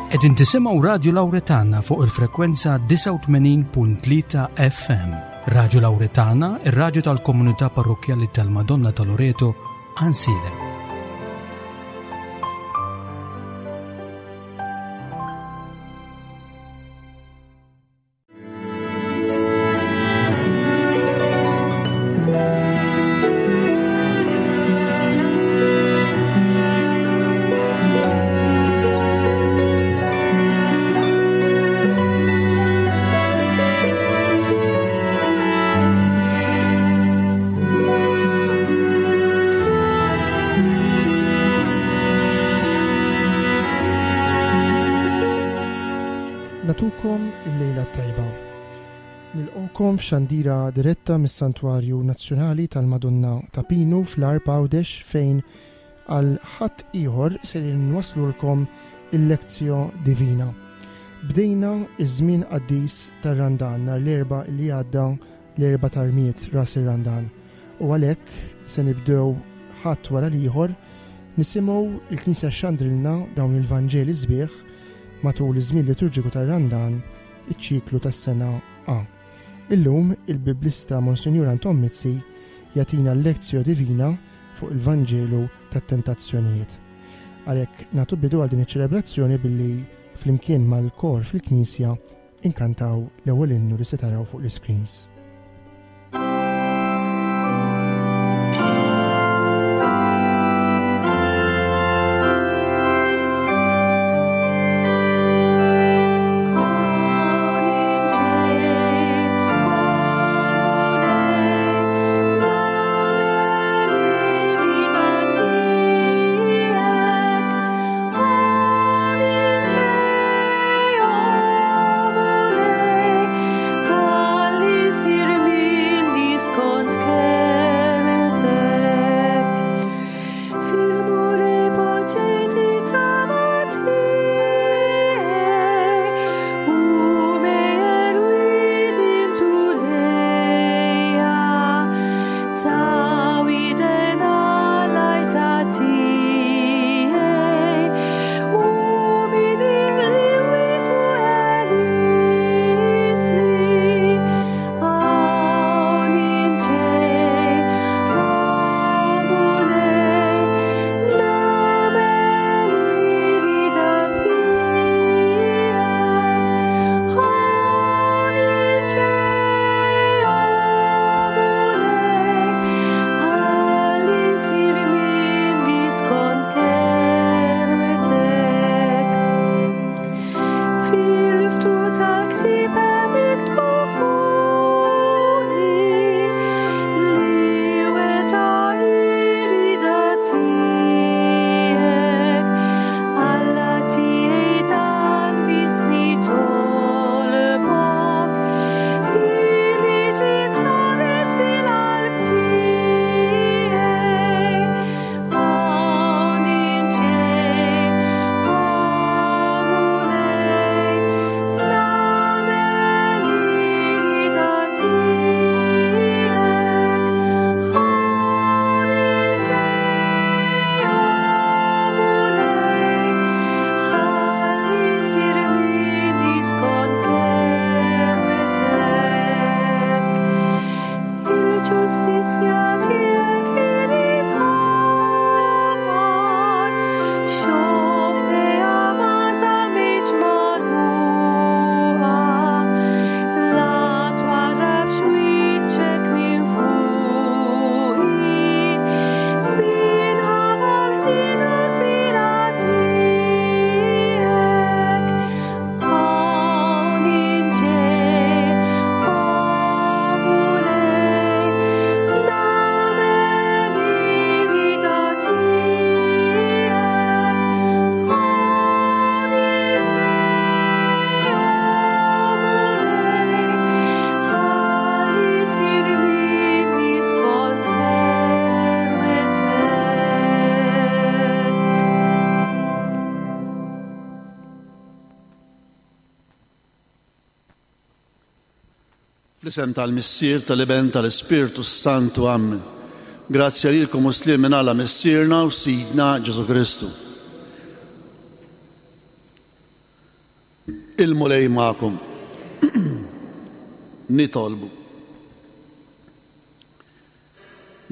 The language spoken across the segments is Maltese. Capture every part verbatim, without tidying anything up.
Qegħdin tisimgħu Radju Lawretana fuq il-frekwenza disgħa u tmenin punt tlieta F M. Radju Lawretana, ir-radju tal-komunità parrokkjali tal-Madonna ta' Loreto, Għajnsielem. F'xandira diretta mis-Santwarju Nazzjonali tal-Madonna ta' Pinu fl-Għarb Għawdex fejn għal ħadd ieħor ser inwaslulkom il-Lectio Divina. Bdejna iż-żmien qaddis tar-Randan nhar l-Erbgħa li għadda, l-Erbgħa tar-Rmied ras ir-Randan. U għalhekk se nibdew ħadd wara l-ieħor nisimgħu il-Knisja xandrilna dawn il-Vanġeli sbieħ matul iż-żmien liturġiku tar-Randan, iċ-ċiklu tas-sena A. Illum il-Biblista Monsinjur Anton Mizzi jagħtina l-Lectio Divina fuq il-Vanġelu tat-Tentazzjonijiet. Għalhekk nagħtu bidu għal din iċ-ċelebrazzjoni billi flimkien mal-kor fil-Knisja inkantaw l-ewwel innu li se taraw fuq l-iscreens. Fl-isem tal-Missier, tal-Iben, tal-Ispirtu Santu, Amen. Grazzja lilkom u sliem minn Alla Missierna u Sidna Ġesu Kristu. Il-Mulej magħkom. Nitolbu.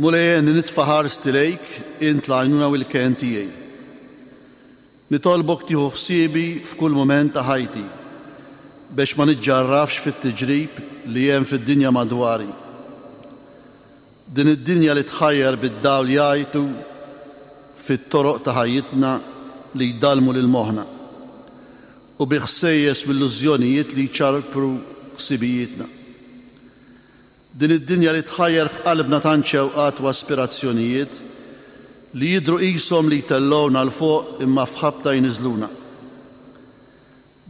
Mulej, nitfa' ħarsti lejk, int l-għajnuna u l-kenn tiegħi. Nitolbok tieħu ħsiebi f'kull mument ta' ħajti biex ma niġġarrafx fit-tiġrib li hemm fid-dinja madwari. Din id-dinja li tħajjar bid-dawl jgħajtu fit-toroq ta' ħajjitna li jdallmu lil moħħna u bi ħsejjes u illużjonijiet li jċarpru ħsibijietna. Din id-dinja li tħajjar f'qalbna tant xewqat u aspirazzjonijiet li jidhru qishom li jtellgħuna 'l fuq imma f'ħabta jniżluna.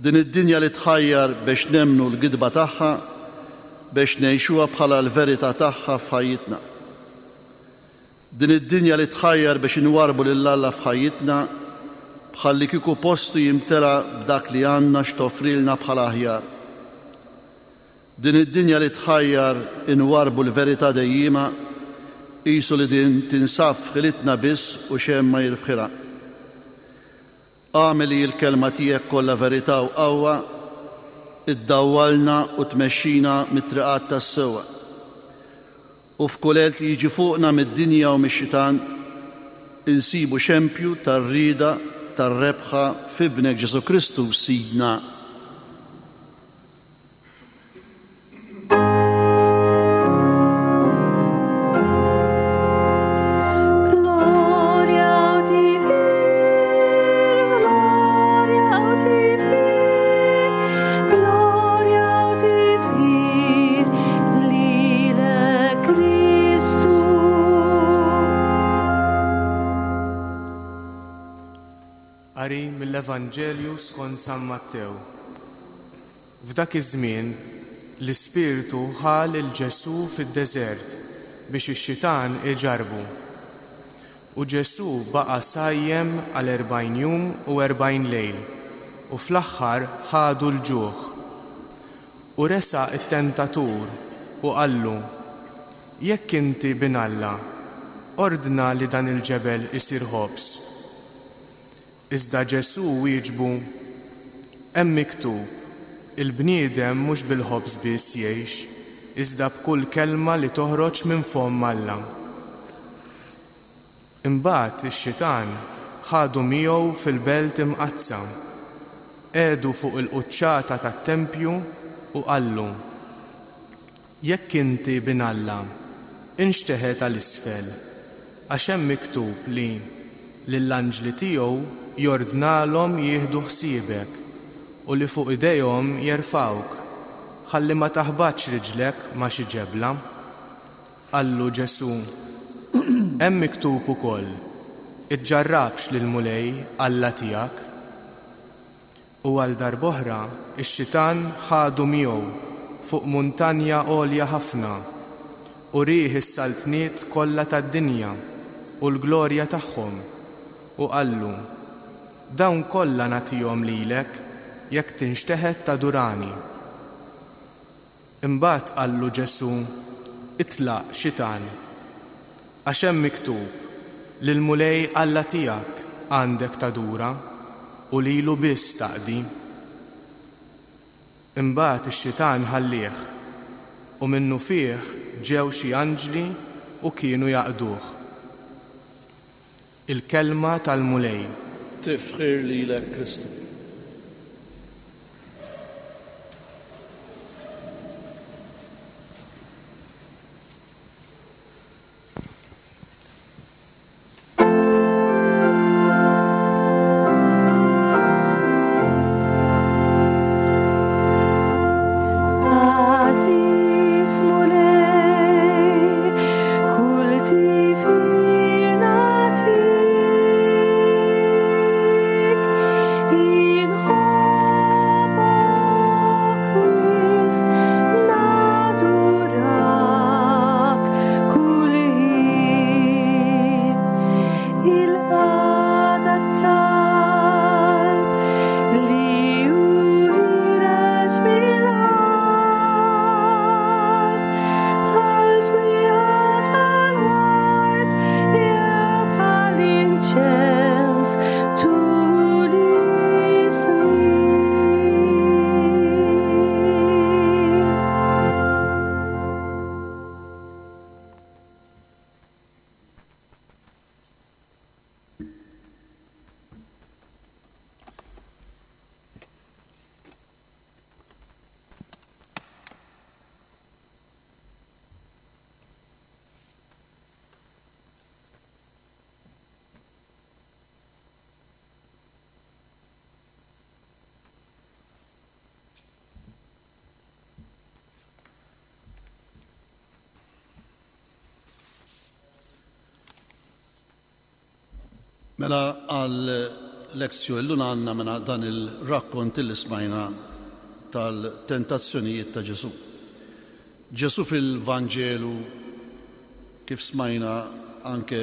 Din id-dinja li tħajjar biex nemmnu l-gidba tagħha biex ngħixuha bħala l-verità tagħha f'ħajjitna. Din id-dinja li tħajjar biex inwarrbu lil Alla f'ħajjitna bħalli kieku postu jimtela b'dak li għandna x'toffrilna bħala aħjar. Din id-dinja li tħajjar inwarrbu l-verità dejjima qisu li din tinsab f'ħilitna biss u xejn ma jirbħilha. Agħmel li l-kelma tiegħek kollha verità u qawwa, iddawwalna u tmexxina mit-triqat tas-sewwa. U f'kull għelt li jiġi fuqna mid-dinja u mix-xitan, insibu xempju tar-rieda tar-rebħa f'Ibnek Ġesù Kristu Sidna. Gloria uti fir, gloria uti fir, gloria uti fir, lilek Kristu. Qari mill-Evanġelju skont San Mattew. F'dak iż-żmien l-Ispirtu ħa lil Ġesù fid-deżert biex ix-xitan iġarrbu. U Ġesù baqa' sajjem għal erbgħin jum u erbgħin lejl, u fl-aħħar ħadu l-ġuħ. U resaq it-tentatur u qallu: Jekk inti bin Alla, ordna li dan il-ġebel isir ħobż. Iżda Ġesù wieġbu: Hemm miktub, il-bniedem mhux bil-ħobż biss jgħix, iżda b'kull kelma li toħroġ minn fomm Alla. Imbagħad ix-xitan ħadu miegħu fil-belt imqaddsa, qiegħdu fuq il-quċċata tat-tempju u qallu: Jekk inti bin Alla, inxteħet għal isfel, għax hemm miktub li lill-anġli tiegħu jordnalhom jieħdu ħsiebek u li fuq idejhom jerfgħuk, ħalli ma taħbatx riġlek ma' xi ġebla. Qallu Ġesù: Hemm miktub ukoll, iġġarrabx lill-Mulej Alla tiegħek. U għal darb'oħra ix-xitan ħadu miegħu fuq muntanja għolja ħafna u rieh is-saltniet kollha tad-dinja u l-glorja tagħhom, u qallu: Dawn kollha nagħtihom lilek jekk tinxteħet tadurani. Imbagħad qallu Ġesù: Itlaq, xitan, għax hemm miktub lill-Mulej Alla tiegħek għandek tadura u lilu biss taqdi. Imbagħad ix-xitan ħallih, u minnufih ġew xi anġli u kienu jaqduh. Il-kelma tal-Mulej. Tifħir lilek Kristu. Għażiż Mulej, kull tifħir nagħtik, Mela għal lezzjoni llum għandna mela dan il-rakkont li smajna tal-tentazzjonijiet ta' Ġesù. Ġesù fil-Vanġelu, kif smajna anke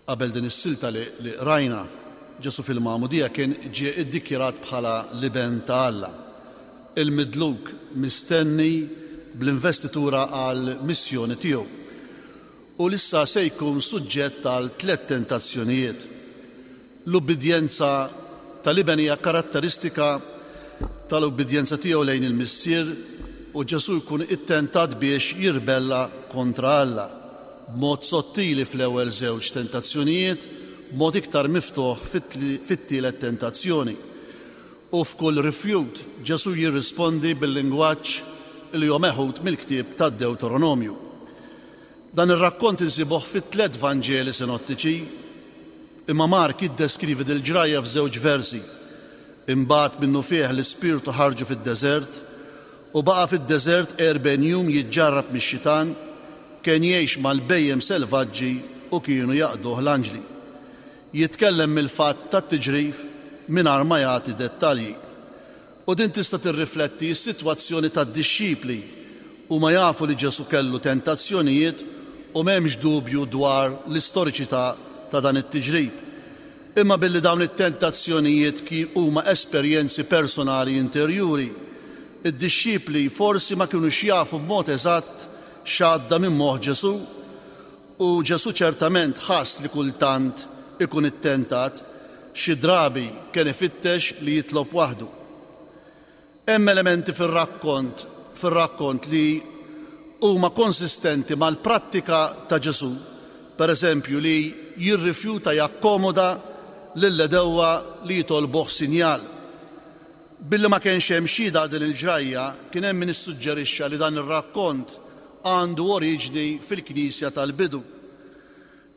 qabel din is-silta li, li rajna, Ġesù fil-Magħmudija kien ġie iddikjarat bħala l-Iben ta' Alla, il-midluk mistenni bl-investitura għal missjoni tiegħu. U issa se jkun suġġett għal tliet tentazzjonijiet. L-ubbidjenza tal-Iben hija karatteristika tal-ubbidjenza tiegħu lejn il-Missier, u Ġesù jkun ittentat biex jirbella kontra Alla b'mod sottili fl-ewwel żewġ tentazzjonijiet, b'mod iktar miftuħ fit-tielet tentazzjoni. U f'kull rifjut Ġesù jirrispondi bil-lingwaġġ li hu meħud mill-ktieb tad-Deuteronomju. Dan ir-rakkont insibuh fit-tliet Vanġeli sinottiċi, imma Mark jiddeskrivi dil-ġrajja f'żewġ versi. Imbagħad minnufih l-Ispirtu ħarġu fid-deżert u baqa' fid-deżert erbgħin jum jiġġarrab mix-xitan, kien jgħix mal-bhejjem selvaġġi u kienu jaqduh l-anġli. Jitkellem mill-fatt tat-tiġrif mingħajr ma jagħti dettalji. U din tista' tirrifletti s-sitwazzjoni tad-dixxipli u ma jafu li Ġesù kellu tentazzjonijiet u m'hemmx dubju dwar l-istoriċità ta' dan it-tiġrib. Imma billi dawn it-tentazzjonijiet huma esperjenzi personali interjuri, id-dixxipli forsi ma kinux jafu b'mod eżatt x'għadda minn moħħ Ġesù, u Ġesù ċertament ħass li kultant ikun ittentat, xi drabi kien ifittex li jitlob waħdu. Hemm elementi fir-rakkont fir-rakkont li huma konsistenti mal-prattika ta' Ġesù, per eżempju li jirrifjuta jakkomoda lill-għedewwa li jitolbuh sinjal. Billi ma kienx hemm xhieda din il-ġrajja, kien hemm min issuġġerixxa li dan ir-rakkont għandu oriġni fil-Knisja tal-bidu,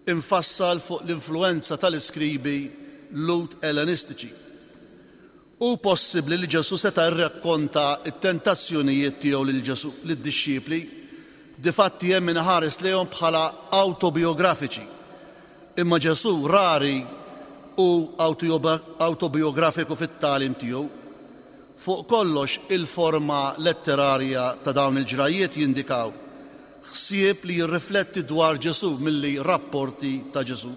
infassal fuq l-influenza tal-iskribi Lhud Ellenistiċi. Hu possibbli li Ġesù seta' rrakkonta t-tentazzjonijiet tiegħu lil Ġesù lid-dixxipli, difatti hemm min iħares lejhom bħala awtobiografiċi. Imma Ġesù rari hu awtobiografiku fit-tagħlim tiegħu. Fuq kollox il-forma letterarja ta' dawn il-ġrajiet jindikaw ħsieb li jirrifletti dwar Ġesù milli rapporti ta' Ġesù.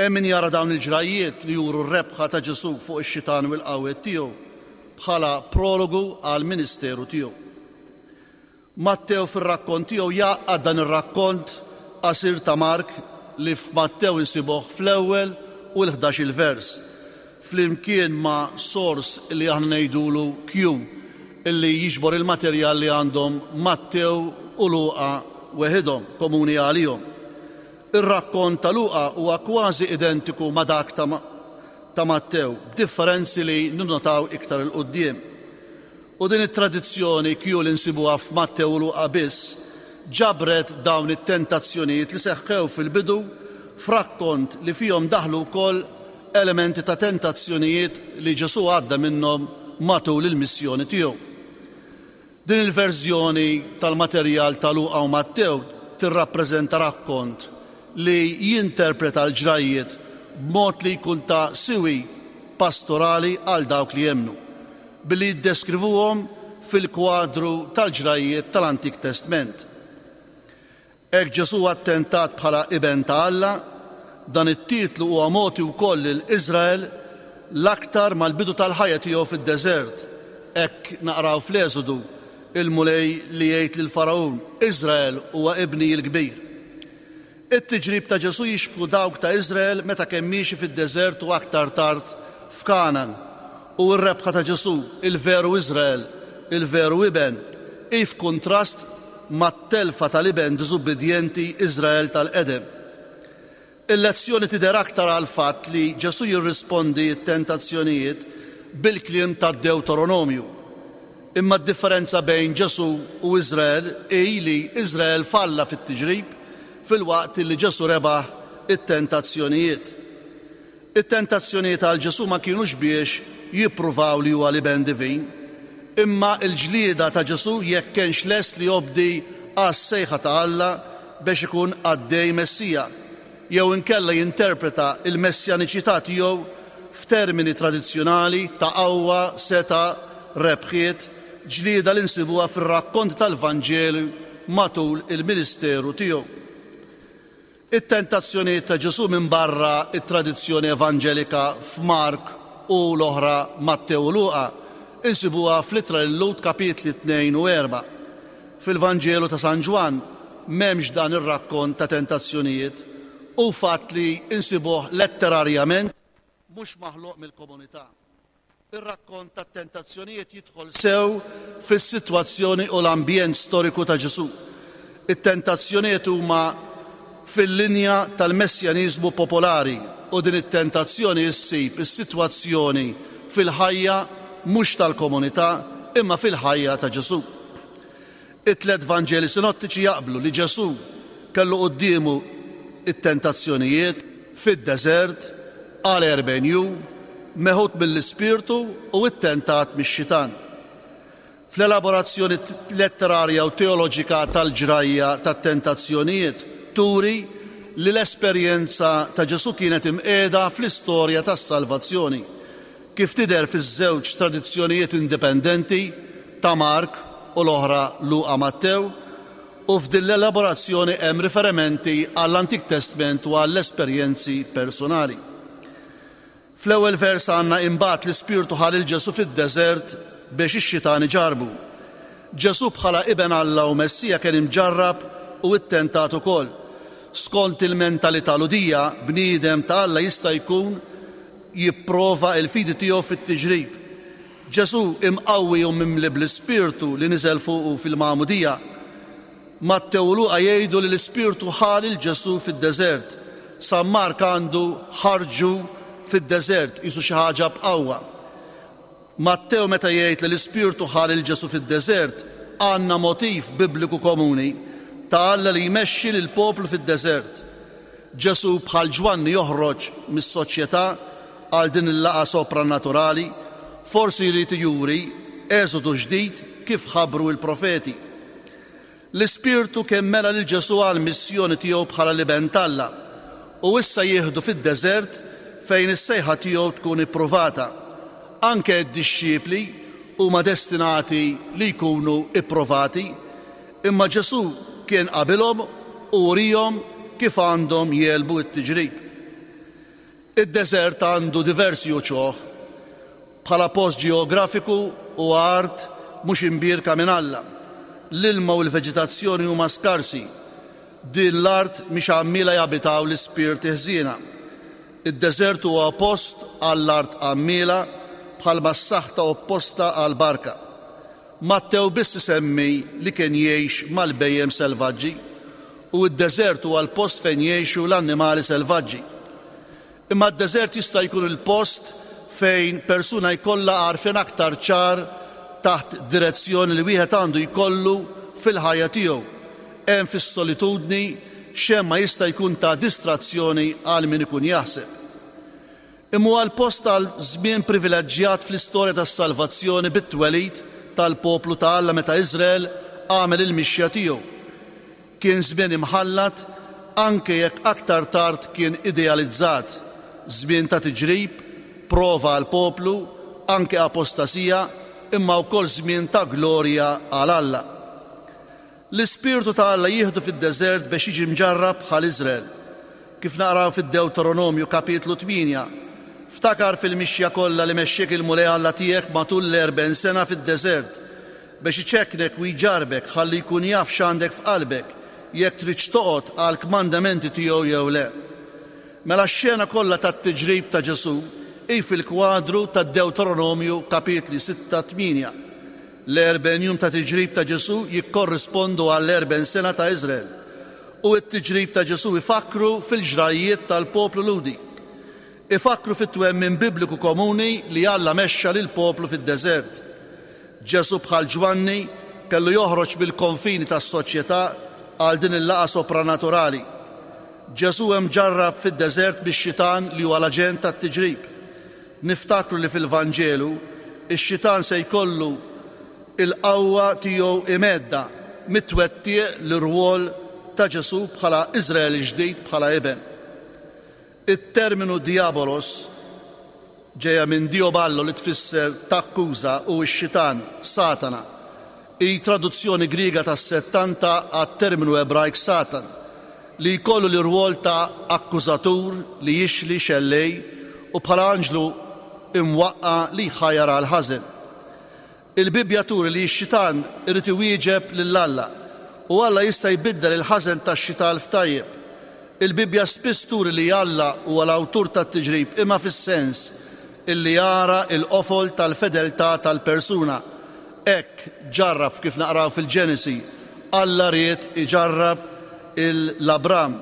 Hemm min jara dawn il-ġrajiet li juru r-rebħa ta' Ġesù fuq ix-xitan u l-qawwiet tiegħu bħala prologu għal ministeru tiegħu. Mattew fir-rakkont tiegħu jgħaqqad dan ir-rakkont qasir ta' Mark li f'Mattew insibuh fl-ewwel u l-ħdax-il vers, flimkien ma' sors li aħna ngħidulu Q, illi jiġbor il-materjal li għandhom Mattew u Luqa weħidhom, komuni għalihom. Ir-rakkont ta' Luqa huwa kważi identiku ma' dak ta' ta' Mattew, b'differenzi li ninnotaw iktar 'il quddiem. U din it-tradizzjoni Q li nsibuha f'Mattew u Luqa biss ġabret dawn it-tentazzjonijiet li seħħew fil-bidu f'rakkont li fihom daħlu wkoll elementi ta' tentazzjonijiet li Ġesù għadda minnhom matul il-missjoni tiegħu. Din il-verżjoni tal-materjal ta' Luqa u Mattew tirrappreżenta rakkont li jinterpreta l-ġrajiet b'mod li jkun ta' siwi pastorali għal dawk li jemmnu, billi jiddeskrivuhom fil-kwadru tal-ġrajiet tal-Antik Testment. Hekk Ġesù attentat bħala Iben ta' Alla, dan it-titlu huwa mogħti wkoll lil Iżrael l-aktar mal-bidu tal-ħajja tiegħu fid-deżert. Hekk naqraw fl-Eżodu il-Mulej li jgħid lil Faraun, Iżrael huwa ibni l-kbir. It-tiġrib ta' Ġesù jixbħu dawk ta' Iżrael meta kien miexi fid-deżert u aktar tard f'Kanan. U r-rebħa ta' Ġesù, il-veru Iżrael, il-veru iben, hi f'kuntrast mat-telfa tal-iben diżubbidjenti Iżrael tal-qedem. Il-lezzjoni tidher aktar għal fatt li Ġesù jirrispondi t-tentazzjonijiet bil-kliem tad-Deuteronomju. Imma d-differenza bejn Ġesù u Iżrael hi li Iżrael falla fit-tiġrib filwaqt li Ġesù rebaħ it-tentazzjonijiet. It-tentazzjonijiet għal Ġesù ma kienux biex jippruvaw li huwa l-iben divin, imma l-ġlieda ta' Ġesù jekk kienx lest li jobdi għas-sejħa ta' Alla biex ikun qaddej Messija, jew inkella jinterpreta il-messjaniċità tiegħu f'termini tradizzjonali ta' qawwa, setgħa, rebħiet, ġlieda li nsibuha fir-rakkonti tal-Vanġelu matul il-ministeru tiegħu. It-tentazzjonijiet ta' Ġesù minn barra it-tradizzjoni evanġelika f'Mark u l-oħra Mattew u Luqa insibuha fl-ittra lil-Lhud kapitli tnejn u erba'. Fil-Vanġelu ta' San Ġwann m'hemmx dan ir-rakkont ta' tentazzjonijiet u fatt li insibuh letterarjament mhux maħluq mill-komunità. Ir-rakkont ta' tentazzjonijiet jidħol sew fis-sitwazzjoni u l-ambjent storiku ta' Ġesù. It-tentazzjonijiet huma fil-linja tal-messjaniżmu popolari u din it-tentazzjoni ssib is-sitwazzjoni fil-ħajja mhux tal-komunità imma fil-ħajja ta' Ġesù. It-tliet Vanġeli sinottiċi jaqblu li Ġesù kellu quddiemu it-tentazzjonijiet fid-deżert għal erbgħin jum, meħud mill-Ispirtu u ttentat mix-xitan. Fl-elaborazzjoni letterarja u teoloġika tal-ġrajja tat-tentazzjonijiet turi li l-esperjenza ta' Ġesù kienet imqiegħda fl-istorja tas-salvazzjoni, kif tidher fiż-żewġ tradizzjonijiet indipendenti ta' Mark u l-oħra Luqa Mattew, u f'din l-elaborazzjoni hemm riferimenti għall-Antik Testament u għall-esperjenzi personali. Fl-ewwel vers għandna imbagħad l-Ispirtu ħa lil Ġesù fid-deżert biex ix-xitan iġarbu. Ġesù bħala Iben Alla u Messija kien imġarrab u ttentat ukoll. Skont il-mentalità Lhudija, bniedem ta' Alla jista' jkun jipprova l-fidi tiegħu fit-tiġrib. Ġesù imqawwi u mimli bl-Ispirtu li niżel fuqu fil-Magħmudija. Mattew u Luqa jgħidu li l-Ispirtu ħa lil Ġesù fid-deżert. San Mark għandu ħarġu fid-deżert, qisu xi ħaġa b'qawwa. Mattew meta jgħid li l-Ispirtu ħa lil Ġesù fid-deżert, għandna motiv bibliku komuni ta' Alla li jmexxi lil poplu fid-deżert. Ġesù bħal Ġwanni joħroġ mis-soċjetà għal din il-laqgħa sopranaturali, forsi jrid juri eżodu ġdid kif ħabbru l-profeti. L-Ispirtu kien mela lil Ġesù għal missjoni tiegħu bħala l-Iben t'Alla u issa jieħdu fid-deżert fejn is-sejħa tiegħu tkun ippruvata. Anke d-dixxipli huma destinati li jkunu ippruvati, imma Ġesù kien qabilhom u urihom kif għandhom jegħlbu t-tiġrib. Id-deżert għandu diversi uċuħ bħala post ġeografiku u art mhux imbierka minn Alla. L-ilma u l-veġitazzjoni huma skarsi. Din l-art mhix għammiela jabitaw l-ispirti ħżiena. Id-deżert huwa post għall-art għammiela bħalma s-saħta opposta għall-barka. Mattew biss isemmi li kien jgħix mal-bhejjem selvaġġi u d-deżert huwa l-post fejn jgħixu l-annimali selvaġġi. Imma d-deżert jista' jkun il-post fejn persuna jkollha għarfien aktar ċar taħt direzzjoni li wieħed għandu jkollu fil-ħajja tiegħu. Hemm fis-solitudni xejn ma jista' jkun ta' distrazzjoni għal min ikun jaħseb. Imma huwa l-post għal żmien privileġġjat fl-istorja tas-salvazzjoni bit-twelid tal-poplu ta' Alla meta Iżrael għamel il-mixja tiegħu. Kien żmien imħallat anke jekk aktar tard kien idealizzat, żmien ta' tiġrib, prova għal poplu, anke apostasija, imma wkoll żmien ta' glorja għal Alla. L-Ispirtu ta' Alla jieħdu fid-deżert biex jiġi mġarrab bħal Iżrael. Kif naqraw fid-Dewteronomju kapitlu tmienja, ftakar fil-mixja kollha li mexxiek il-Mulej Alla tiegħek matul l-erbgħin sena fid-deżert biex iċekknek u jġarbek ħalli jkun jaf x'għandek f'qalbek jekk tridx toqgħod għal kmandamenti tiegħu jew le. Mela x-xena kollha tat-tiġrib ta' Ġesù hi fil-kwadru tad-Dewteronomju kapitli sitta tmienja. L-erbgħin jum ta' tiġrib ta' Ġesù jikkorrispondu għall-erbgħin sena ta' Iżrael u t-tiġrib ta' Ġesù ifakru fil-ġrajiet tal-poplu Lhudi. Ifakru fit-twemmin bibliku komuni li Alla mexxa lil poplu fid-deżert. Ġesù bħal Ġwanni kellu joħroġ mill-konfini tas-soċjetà għal din il-laqgħa sopranaturali. Ġesù hemm ġarrab fid-deżert bix-xitan li huwa l-aġent tat-tiġrib. Niftakru li fil-Vanġelu ix-xitan se jkollu il-qawwa tiegħu imedda mitwettiq l-irwol ta' Ġesù bħala Iżrael ġdid bħala iben. It-terminu diabolos ġejja minn dioballo li tfisser takkuża u x-xitan, Satana. Hi traduzzjoni Griega tas-settanta għat-terminu Ebrajk Satan, li jkollu l-irwol ta' akkużatur li jixli xellej u bħala anġlu imwaqqa li jħajjar għal ħażen. Il-Bibbja turi li x-xitan irid iwieġeb lil Alla u Alla jista' jbiddel il-ħażen tax-xitan f'tajjeb. Il-Bibbja spiss turi li Alla huwa l-awtur tat-tiġrib imma fis-sens illi jara il-qofol tal-fedeltà tal-persuna. Hekk ġarrab kif naqraw fil-Ġenesi, Alla ried iġarrab l-Abram,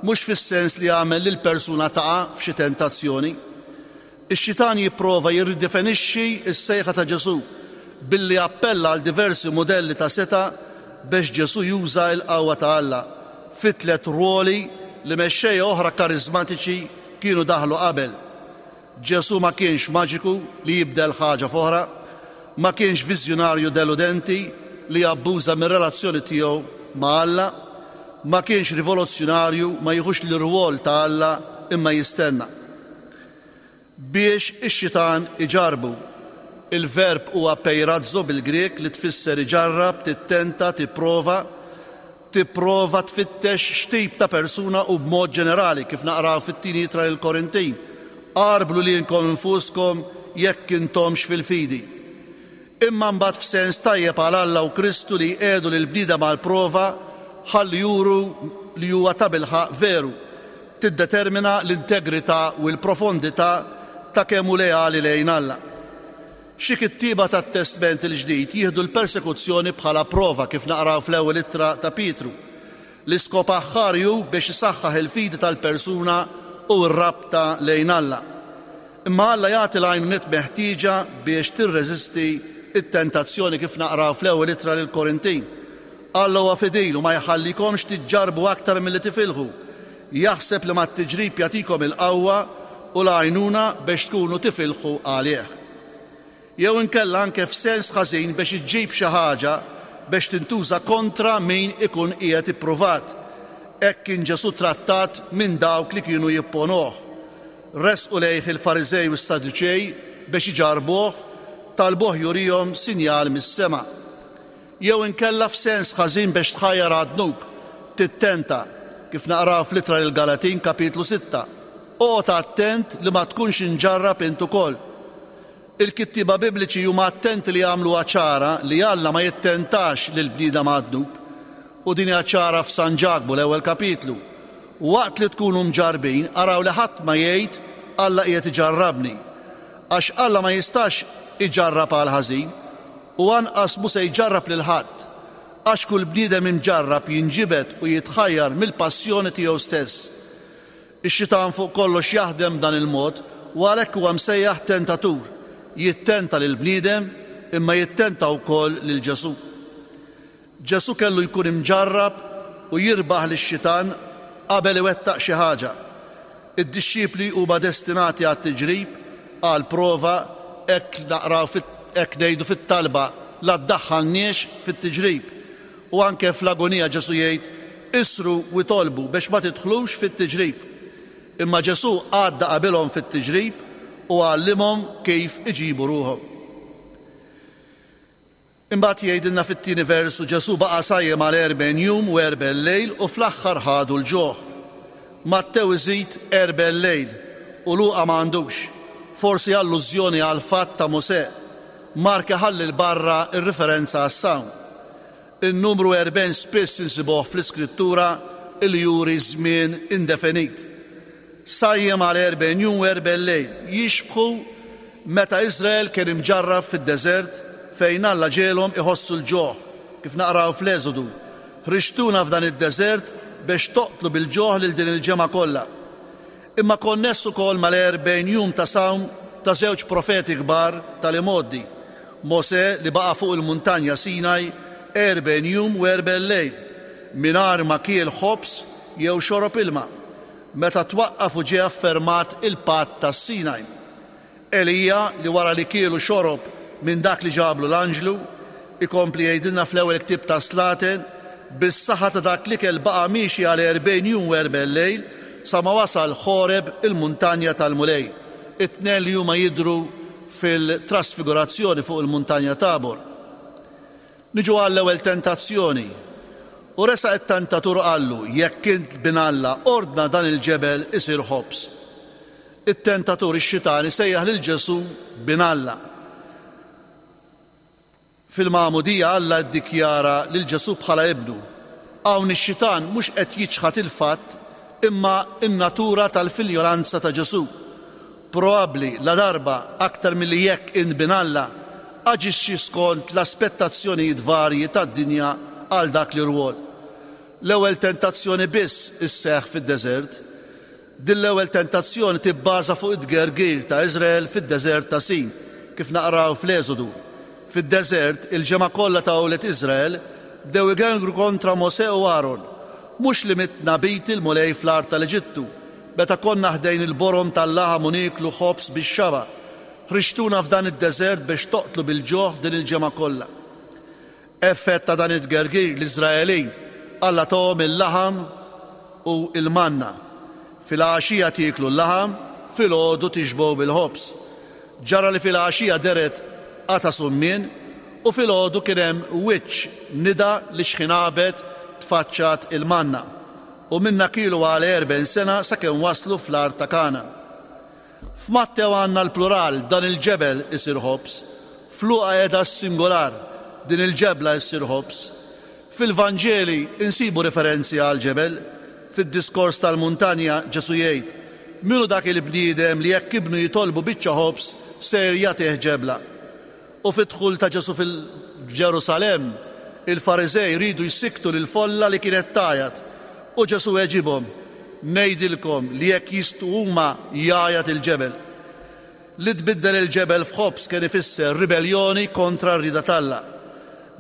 mhux fis-sens li jagħmel lil persuna taqa' f'xi tentazzjoni. Ix-xitan jipprova jirridefinixxi s-sejħa ta' Ġesù billi appella għal diversi modelli ta' seta' biex Ġesù juża l-qawwa ta' Alla fi tliet ruoli li mexxejja oħra karizmatiċi kienu daħlu qabel. Ġesù ma kienx maġiku li jibdel ħaġa f'oħra, ma kienx viżjonarju deludenti li jabbuża mir-relazzjoni tiegħu ma' Alla, ma kienx rivoluzzjonarju ma jieħux l-irwol ta' Alla imma jistenna. Biex ix-xitan iġarbu. Il-verb huwa peirazzo bil-Grek li tfisser iġarrab, tittenta, tipprova, tipprova tfittex x'tip ta' persuna u b'mod ġenerali kif naqraw fit-tieni ittra lil Korintin. Għarblu lilkom infuskom jekk intomx fil-fidi. Imma mbagħad f'sens tajjeb għal Alla u Kristu li jqiegħdu lil bniedem għal prova ħalli juru li huwa tabilħaq veru. Tiddetermina l-integrità u l-profondità ta' kemm hu leali lejn Alla. Xi kittieba tat-Testment il-Ġdid jieħdu l-persekuzzjoni bħala prova kif naqraw fl-ewwel ittra ta' Pietru. L-iskop aħħar hu biex isaħħaħ il-fidi tal-persuna u r-rabta lejn Alla. Imma Alla jagħti l-għajnuniet meħtieġa biex tirreżisti it-tentazzjoni kif naqraw fl-ewwel ittra lil Korintin. Alla huwa fidil u ma jħallikomx tiġġarbu aktar milli tifilħu. Jaħseb li mat-tiġrib jagħtikom il-qawwa u l-għajnuna biex tkunu tifilħu għalih. Jew inkella anke f'sens ħażin biex iġġib xi ħaġa biex tintuża kontra min ikun qiegħed ippruvat. Hekk kien Ġesù trattat minn dawk li kienu jipponuh. Resqu lejh il-Fariżej u s-Saduċej biex iġarbuh, talbuh jurihom sinjal mis-sema. Jew inkella f'sens ħażin biex tħajjar għad-dnub, tittenta, kif naqraw fl-ittra lil Galatin kapitlu sitta. Oqgħod attent li ma tkunx inġarrab int ukoll. Il-kittieba bibliċi huma attenti li jagħmluha ċara li Alla ma jittentax lil bniedem għad-dnub. U din hija ċara f'San Ġakbu l-ewwel kapitlu. Waqt li tkunu mġarbin, araw li ħadd ma jgħid Alla qiegħed iġarrabni. Għax Alla ma jistax iġarrab għal ħażin u anqas mhu se jġarrab lil ħadd. Għax kull bniedem imġarrab jinġibed u jitħajjar mill-passjoni tiegħu stess. Ix-xitan fuq kollox jaħdem dan il-mod u għalhekk huwa msejjaħ tentatur. Jittenta lil bniedem imma jittenta wkoll lil Ġesù. Ġesù kellu jkun imġarrab u jirbaħ lix-xitan qabel iwettaq xi ħaġa. Id-dixxipli huma destinati għat-tiġrib, għal prova, hekk naqraw hekk ngħidu fit-talba la ddaħħalniex fit-tiġrib. U anke fl-agonija Ġesù jgħid isru u itolbu biex ma tidħlux fit-tiġrib. Imma Ġesù għadda qabilhom fit-tiġrib u għallimhom kif iġibu ruħhom. Imbagħad jgħidilna fit-tieni versu Ġesù baqa' sajjem għal erbgħin jum u erbgħin lejl u fl-aħħar ħadu l-ġuħ. Mattew iżid erbgħin lejl u Luqa ma għandux, forsi allużjoni għal fatt ta' Mosè. Mark iħalli l barra ir-riferenza għas-sawm. In-numru erbgħin spiss insibuh fl-Iskrittura li juri żmien indefinit. Sajjem għal erbgħin jum u erbgħin lejl jixbħu meta Iżrael kien imġarrab fid-deżert fejn Alla ġiegħelhom iħossu l-ġuħ, kif naqraw fl-Eżodu. Ħriġtuna f'dan id-deżert biex toqtlu bil-ġuħ lil din il-ġemgħa kollha. Imma konness ukoll mal-erbgħin jum ta' sawm ta' żewġ profeti kbar tal-imgħoddi. Mosè li baqa' fuq il-muntanja Sinaj erbgħin jum u erbgħin lejl mingħajr ma kiel ħobż jew xorob ilma, meta twaqqaf u ġie affermat il-patt tas-Sinaj. Elija li wara li kielu xorob minn dak li ġablu l-anġlu, ikompli jgħidilna fl-ewwel ktieb ta' Slaten, bis-saħħa ta' dak l-ikel baqa' miexi għal erbgħin jum u erbgħin lejl sa ma wasal Ħoreb, il-muntanja tal-Mulej. It-tnejn li huma jidhru fil-trasfigurazzjoni fuq il-muntanja Tabor. Niġu għall-ewwel tentazzjoni. U resaq it-tentatur, qallu: "Jekk int bin Alla, ordna dan il-ġebel isir ħobż." It-tentatur, ix-xitan, sejjaħ lil Ġesu bin Alla. Fil-magħmudija Alla ddikjara lil Ġesu bħala ibnu. Hawn ix-xitan mhux qed jiċħad il-fatt imma in-natura tal-filjolanza ta' Ġesu. Probabbli la darba aktar milli "jekk int bin Alla", aġixxi skont l-aspettazzjonijiet varji tad-dinja għal dak l-irwol. L-ewwel tentazzjoni biss isseħħ fid-deżert. Din l-ewwel tentazzjoni tibbaża fuq it-tgergir ta' Iżrael fid-deżert ta' Sin, kif naqraw fl-Eżodu. Fid-deżert, il-ġemgħa kollha ta' wlied Iżrael bdew igergru kontra Mose u Aaron. "Mhux li mitna b'id il-Mulej fl-art tal-Eġittu, meta konna ħdejn il-borom tal-laħam u nieklu ħobż bix-xaba'? Ħriġtuna f'dan id-deżert biex toqtlu bil-ġuħ din il-ġemgħa kollha." Effett ta' dan it-tgergir, l-Iżraelin Alla tahom il-laħam u il-manna. "Fil-għaxija tieklu l-laħam, filgħodu tixbgħu bil-ħobż." Ġara li fil-għaxija dehret qatgħa summien u filgħodu kien hemm wiċċ nida li xħin għabet tfaċċat il-manna. U minnha kielu għal erbgħin sena sakemm waslu fl-art ta' Kana. F'Mattew għandna l-plural, "dan il-ġebel isir ħobż". F'Luqa qiegħda s-singular, "din il-ġebla issir ħobż". Fil-Vanġeli insibu referenzi għal ġebel. Fid-diskors tal-muntanja Ġesu jgħid: "Min hu dak il-bniedem li jekk ibnu jitolbu biċċa ħobż ser jagħtih ġebla?" U fid-dħul ta' Ġesu fil-Ġerusalem, il-Fariżej riedu jsikktu lil folla li kienet tgħajjat. U Ġesu weġibhom: "Ngħidilkom li jekk jisktu huma, jgħajjat il-ġebel." Li tbiddel il-ġebel f'ħobż kien ifisser ribellioni kontra r-rieda t'Alla.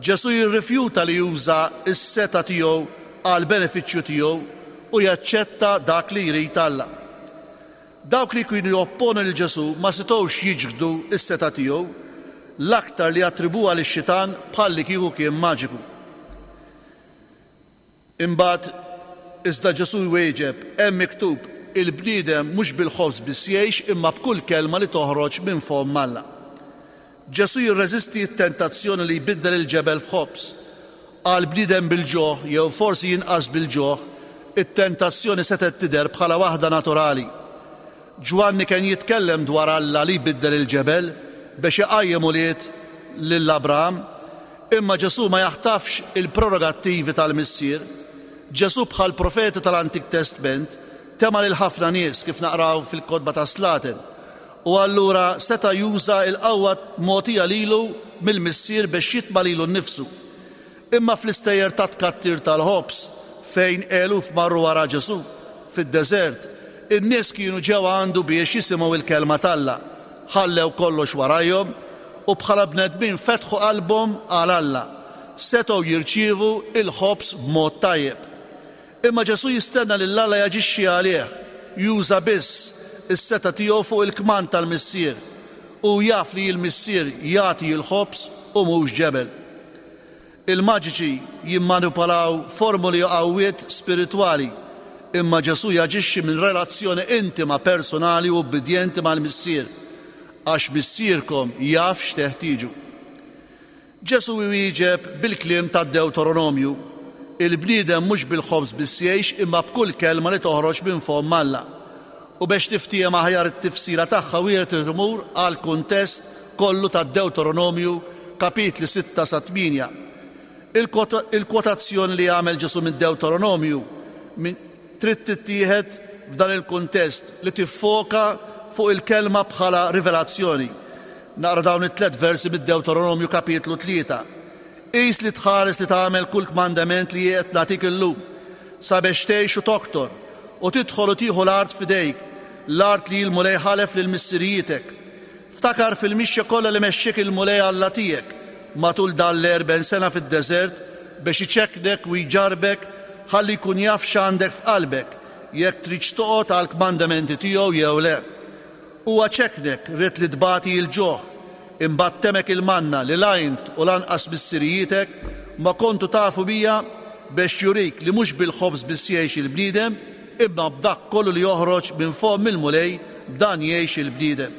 Ġesu jirrifjuta li juża s-setgħa tiegħu għal benefiċċju tiegħu u jaċċetta dak li jrid Alla. Dawk li kienu jopponu lil Ġesu ma setgħux jiċħdu s-setgħa tiegħu, l-aktar li attribuha lix-xitan bħalli kieku kien maġiku. Imbagħad iżda Ġesu jwieġeb: "Hemm miktub: il-bniedem mhux bil-ħobż biss jgħix imma b'kull kelma li toħroġ minn fomm Alla." Ġesu jirreżisti t-tentazzjoni li jbiddel il-ġebel f'ħobż. Għal bniedem bil-ġuħ jew forsi jinqas bil-ġuħ, it-tentazzjoni setgħet tidher bħala waħda naturali. Ġwanni kien jitkellem dwar Alla li jbiddel il-ġebel biex iqajjem ulied lil Abraham, imma Ġesu ma jaħtafx il-prerogattivi tal-Missier. Ġesu bħal profeti tal-Antik Testament tema' lil ħafna nies, kif naqraw fil-kotba ta' Slaten. U allura seta' juża il-qawwa mogħtija lilu mill-Missier biex jitma' lilu nnifsu. Imma fl-istejjer ta' tkattir tal-ħobż, fejn eluf marru wara Ġesu fid-deżert, in-nies kienu ġew għandu biex jisimgħu il-kelma t'Alla. Ħallew kollox warajhom u bħala bnedmin fetħu qalbhom għal Alla. Setgħu jirċievu il-ħobż b'mod tajjeb. Imma Ġesu jistenna lil Alla jaġixxi għalih, juża biss is-setgħa tiegħu fuq il-kmand tal-Missier u jaf li l-Missier jagħti l-ħobż u mhux ġebel. Il-maġiċi jimmanipolaw formuli u qawwiet spiritwali, imma Ġesu jaġixxi minn relazzjoni intima, personali u obbedjenti mal-Missier, għax Missierkom jaf x'teħtieġu. Ġesu jwieġeb bil-kliem tad-Deuteronomju: "Il-bniedem mhux bil-ħobż biss jgħix imma b'kull kelma li toħroġ minn fomm Alla." U biex tiftiehem aħjar it-tifsira tagħha, wieħed imur għal kuntest kollu tad-Deuteronomju, kapitli sitta sa tmienja. Il-kwotazzjoni li għamel Ġesu minn Deuteronomju trid tittieħed f'dan il-kuntest li tiffoka fuq il-kelma bħala rivelazzjoni. Naqra dawn it-tlet versi mid-Deuteronomju kapitlu tlieta. "Qis li tħares li tagħmel kull kmandament li qed nagħtik illum, sabiex tgħix u toktor u tidħol u tieħu l-art f'idejk, l-art li l-Mulej ħalef lil missirijietek. Ftakar fil-mixja kollha li mexxiek il-Mulej Alla tiegħek matul dan l-erbgħin sena fid-deżert biex iċekknek u jġarbek ħalli jkun jaf x'għandek f'qalbek, jekk tridx toqgħod għal kmandamenti tiegħu jew le. Huwa ċekknek, ried li tbati l-ġuħ, imbagħad temgħek il-manna li la int u lanqas missirijietek ma kontu tafu biha, biex jurik li mhux bil-ħobż biss jgħix il-bniedem imma b'dak kollu li joħroġ minn fomm il-Mulej, b'dan jgħix il-bniedem.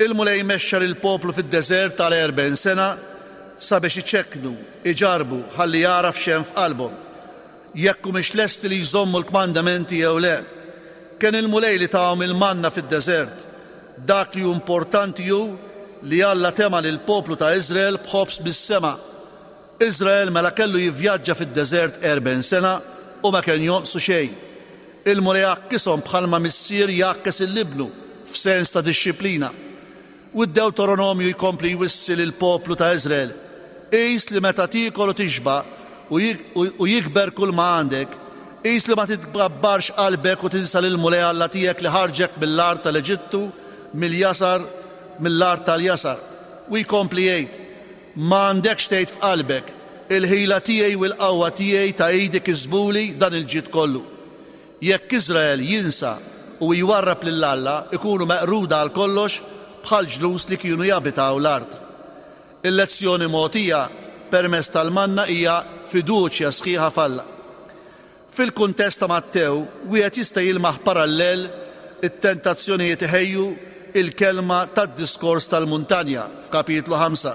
Il-Mulej mexxa lill-poplu fid-deżert tal-erbgħin sena sabiex iċekknu, iġarbu, ħalli jagħraf x'hemm f'qalbhom, jekk humiex lesti li jżommu l-kmandamenti jew le. Kien il-Mulej li tahom il-manna fid-deżert. Dak li hu importanti hu li Alla tema lill-poplu ta' Iżrael b'ħobż mis-sema. Iżrael mela kellu jivvjaġġa fid-deżert erbgħin sena u ma kien jonqsu xejn. Il-Mulej għakkishom bħalma missier jgħakkes il-libnu f'sens ta' dixxiplina. U d-Deuteronomju jkompli jwissi lill-poplu ta' Iżrael: qis li meta tiekol u tixba' u jikber kull ma għandek, qis li ma titgabbarx qalbek u tinsa lill-Mulej Alla tiegħek li ħarġek mill-art tal-Eġittu, mill-jasar, mill-art tal-jasar. U jkompli jgħid: ma għandekx tgħid f'qalbek, il-ħila tiegħi u l-qawwa tiegħi ta' idi kisbuli dan il-ġid kollu. Jekk Iżrael jinsa u jwarrab lil Alla, ikunu meqruda għal kollox bħal ġlus li kienu jabitaw l-art. Il-lezzjoni mogħtija permezz tal-manna hija fiduċja sħiħa f'Alla. Fil-kuntest ta' Mattew, wieħed jista' jilmaħ parallel it-tentazzjonijiet iħejju il-kelma tad-diskors tal-muntanja f'kapitlu ħamsa.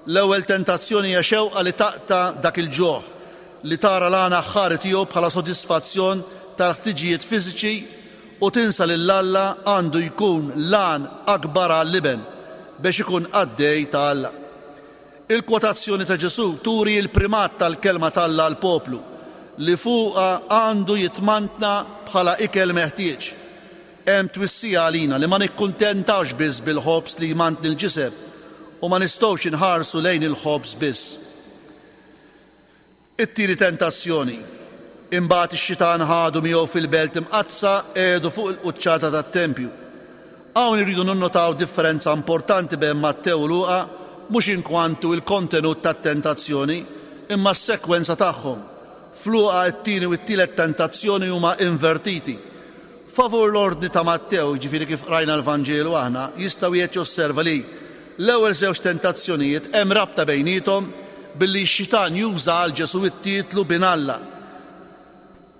L-ewwel tentazzjoni hija xewqa li taqta' dak il-ġuħ, li tara l-għana aħħari tiegħu bħala sodisfazzjon tal-ħtiġijiet fiżiċi u tinsa lil Alla għandu jkun l-għan akbar għall-iben biex ikun qaddej ta' Alla. Il-kwotazzjoni ta' Ġesù turi l-primat tal-kelma t'Alla għall-poplu li fuqha għandu jitmantna bħala ikel meħtieġ. Hemm twissija għalina li ma nikkuntentawx biss bil-ħobż li jmantni l-ġisem u ma nistgħux inħarsu lejn il-ħobż biss. It-tieni tentazzjoni. Imbagħad ix-xitan ħadu miegħu fil-belt imqaddsa qiegħdu fuq il-quċċata tat-tempju. Hawn irridu ninnotaw differenza importanti bejn Mattew u Luqa, mhux inkwantu il-kontenut tat-tentazzjoni, imma s-sekwenza tagħhom. F'Luqa t-tieni u t-tielet tentazzjoni huma invertiti. Favur l-ordni ta' Mattew, jiġifieri kif qrajna l-Vanġelu aħna, jista' wieħed josserva li l-ewwel żewġ tentazzjonijiet hemm rabta bejniethom billi x-xitan juża għal Ġesù it-titlu bin Alla,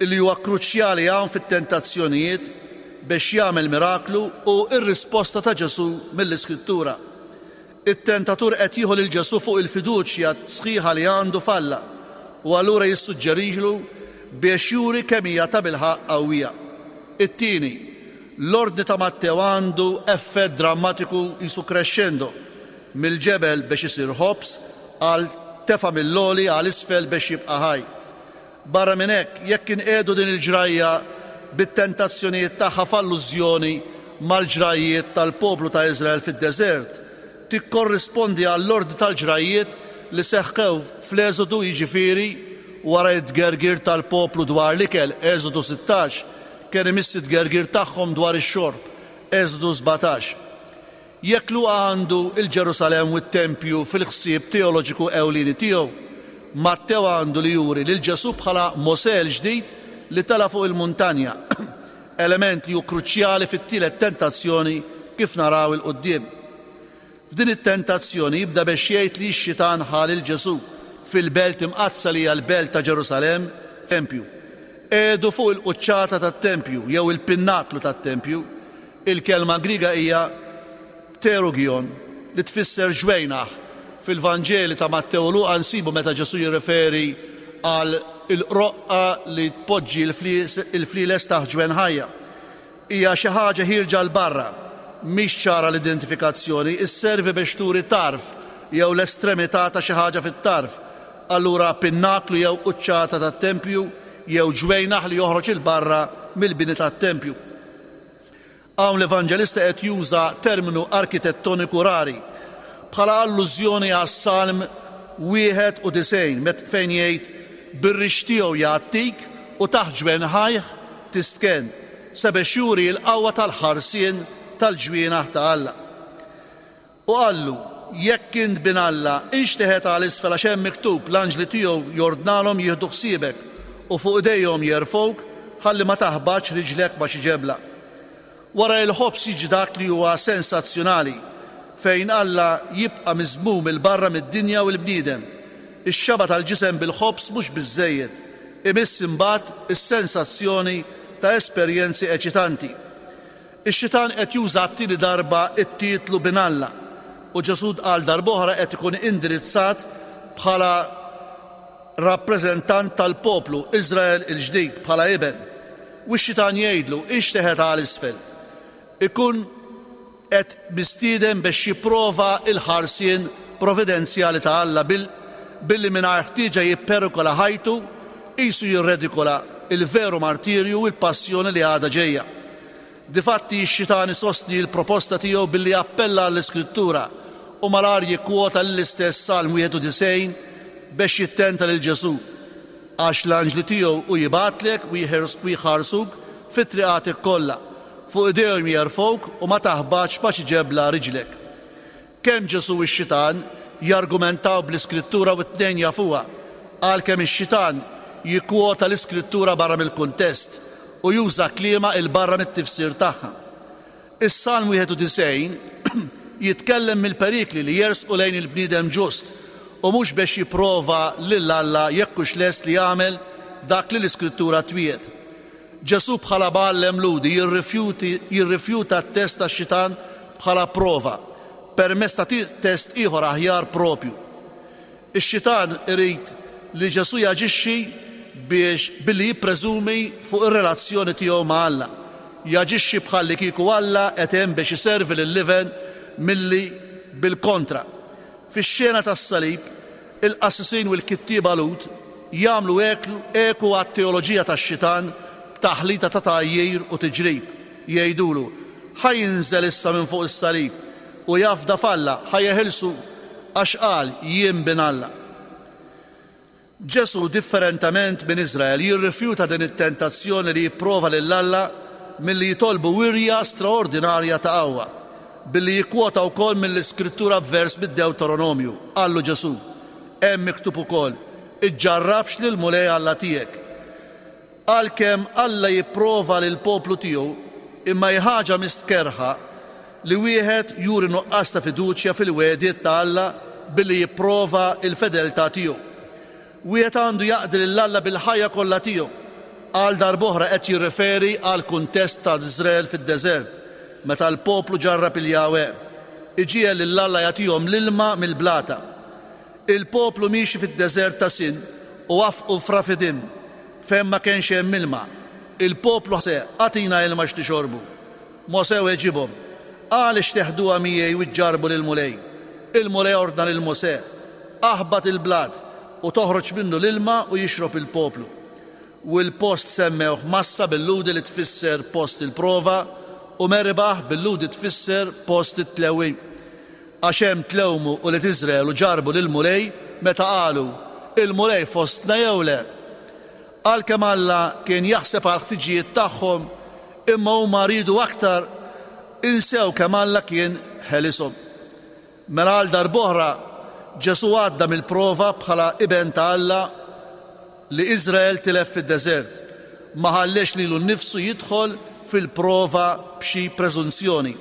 li huwa kruċjali hawn fit-tentazzjonijiet biex jagħmel miraklu u r-risposta ta' Ġesù mill-Iskrittura. It-tentatur qed jieħu lil Ġesù fuq il-fiduċja sħiħa li għandu f'Alla u allura jissuġġerilu biex juri kemm hija ta' bilħaqq qawwija. It-tieni, l-ordni ta' Mattew għandu effett drammatiku jisu crescendo, mill-ġebel biex isir ħobż għal tefa' mill-għoli għal isfel biex jibqa' ħaj. Barra minn hekk, jekk inqiegħdu din il-ġrajja bit-tentazzjonijiet tagħha f'allużjoni mal-ġrajjiet tal-poplu ta' Iżrael fid-deżert, tikkorrispondi għall-ordni tal-ġrajjiet li seħħew fl-Eżodu, jiġifieri wara t-tgergir tal-poplu dwar l-ikel, Eżodu sittax, kien imiss it-tgergir tagħhom dwar ix-xorb, Eżodu sbatax. Jekk Luqa għandu il-Ġerusalemm u t-tempju fil-ħsieb teoloġiku ewlieni tiegħu, Mattew għandu li juri lil Ġesù bħala Mosè l-ġdid li tela' fuq il-muntanja, element li hu kruċjali fit-tielet tentazzjoni kif naraw il-quddiem. F'din it-tentazzjoni jibda biex jgħid li x-xitan ħa lil Ġesù fil-belt imqaddsa li hija l-belt ta' Ġerusalemm, tempju. Qiegħdu fuq il-quċċata tat-tempju jew il-pinnaklu tat-tempju. Il-kelma Griega hija pterugion li tfisser ġwejnaħ. Fil-Vanġeli ta' Mattew u Luqa nsibu meta Ġesù jirreferi għal il-qroqqa li tpoġġi il-flieles taħt ġwenħajja. Hija xi ħaġa ħierġa l barra, mhix ċara l-identifikazzjoni, isservi biex turi tarf jew l-estremità ta' xi ħaġa fit-tarf. Allura pinnaklu jew quċċata tat-tempju jew ġwejnaħ li joħroġ il barra mill-bini tat-tempju. Hawn l-Evanġelista qed juża terminu arkitettoniku rari bħala allużjoni għas-Salm wieħed u disgħin fejn jgħid bir-rix tiegħu jgħattik u taħt ġwenħajh tistken, sabiex juri l-qawwa tal-ħarsien tal-ġwienaħ ta' Alla. U qallu, jekk int bin Alla, inxteħet għal isfel għax hemm miktub l-anġli tiegħu jordnalhom jieħdu ħsiebek u fuq idejhom jerfgħuk ħalli ma taħbatx riġlek ma' xi ġebla. Wara il-ħobż jiġi dak li huwa sensazzjonali fejn Alla jibqa' miżmum il-barra mid-dinja u l-bniedem. Ix-xaba tal-ġisem bil-ħobż mhux biżżejjed, Imiss imbagħad is-sensazzjoni ta' esperjenzi eċitanti. Ix-xitan qed juża t-tieni darba t-titlu bin Alla u Ġesù għal darb'oħra qed ikun indirizzat bħala rappreżentant tal-poplu Iżrael il-ġdid bħala iben. U x-xitan jgħidlu inxteħet għal isfel. Ikun qed mistieden biex jipprova il-ħarsien providenzjali ta' Alla billi mingħajr ħtieġa jipperikola ħajtu, qisu jirredikola il-veru martirju u l-passjoni li għadha ġejja. Difatti x-xitan isostni l-proposta tiegħu billi appella għall-Iskrittura u malar jikkwota l-istess Salm wieħed u disgħin biex jittenta lil Ġesù, għax l-anġli tiegħu u jibgħatlek u jħarsuk fit-triqatek kollha, fuq idejhom jerfgħuk u ma taħbatx ma xi ġebla riġlek. Kemm Ġesù u x-xitan jargumentaw bl-Iskrittura u t-tnejn jafuha, għalkemm ix-xitan jikkwota l-Iskrittura barra mill-kuntest u juża kliema il barra mit-tifsir tagħha. Is-Salm wieħed u disgħin jitkellem mill-perikli li jersqu lejn il-bniedem ġust u mhux biex jipprova lil Alla jekk hux lest li jagħmel dak li l-Iskrittura twiegħed. Ġesù bħala mgħallem Lhudi jirrifjuta t-test tax-xitan bħala prova permezz ta' test ieħor aħjar propju. Ix-xitan irid li Ġesù jaġixxi biex billi jippreżumi fuq ir-relazzjoni tiegħu ma' Alla. Jaġixxi bħalli kieku Alla qed hemm biex iservi lil-liven milli bil-kontra. Fix-xena tas-salib, il-qassisin u l-kittieba Lhud jagħmlu eku għat-teoloġija tax-xitan b'taħlita ta' tgħajjir u tiġrib. Jgħidulu, ħa jinżel issa minn fuq is-salib u jafda f'Alla, ħa jeħilsu għax qal jien bin Alla. Ġesù, differentament minn Iżrael, jirrifjuta din it-tentazzjoni li jipprova lil Alla milli jitolbu wirja straordinarja ta' qawwa, billi jikkwota wkoll mill-Iskrittura b'vers mid-Dewteronomju. Qallu Ġesù, hemm miktub ukoll, iġġarrabx lil Mulej Alla tiegħek. Għalkemm Alla jipprova lil poplu tiegħu, imma hi ħaġa mistkerħa li wieħed juri nuqqas ta' fiduċja fil-wegħdiet ta' Alla billi jipprova il-fedeltà tiegħu. Wieħed għandu jaqdi lil Alla bil-ħajja kollha tiegħu. Għal darb'oħra qed jirreferi għal kuntest ta' Iżrael fid-deżert, meta l-poplu ġarrab il-Jahwe, iġiegħel lil Alla jagħtihom l-ilma mill-blata. Il-poplu miexi fid-deżert ta' Sin u wafqu f'Rafidim, fejn ma kienx hemm ilma. Il-poplu ħse, agħtina ilma x'tixorbu. Mosè weġibhom, għaliex teħduha miegħi u ġġarbu lil Mulej? Il-Mulej ordna lil Mosè, aħbat il-blat u toħroġ minnu l-ilma u jixrob il-poplu. U l-post semmewh Massa bil-Lhudi li tfisser post il-prova u Meribah bil-Lhudi tfisser post it-tlewwim. Għax hemm tlewmu u li Iżrael u ġarbu lil Mulej meta qalu, il-Mulej fostna jew le? Għalkemm Alla kien jaħseb għal ħtiġijiet tagħhom, imma huma riedu aktar, insew kemm Alla kien ħelishom. Mela għal darb'oħra Ġesù għadda mill-prova bħala iben ta' Alla li Iżrael tilef fid-deżert. Ma ħallex lilu nnifsu jidħol fil-prova b'xi preżunzjoni,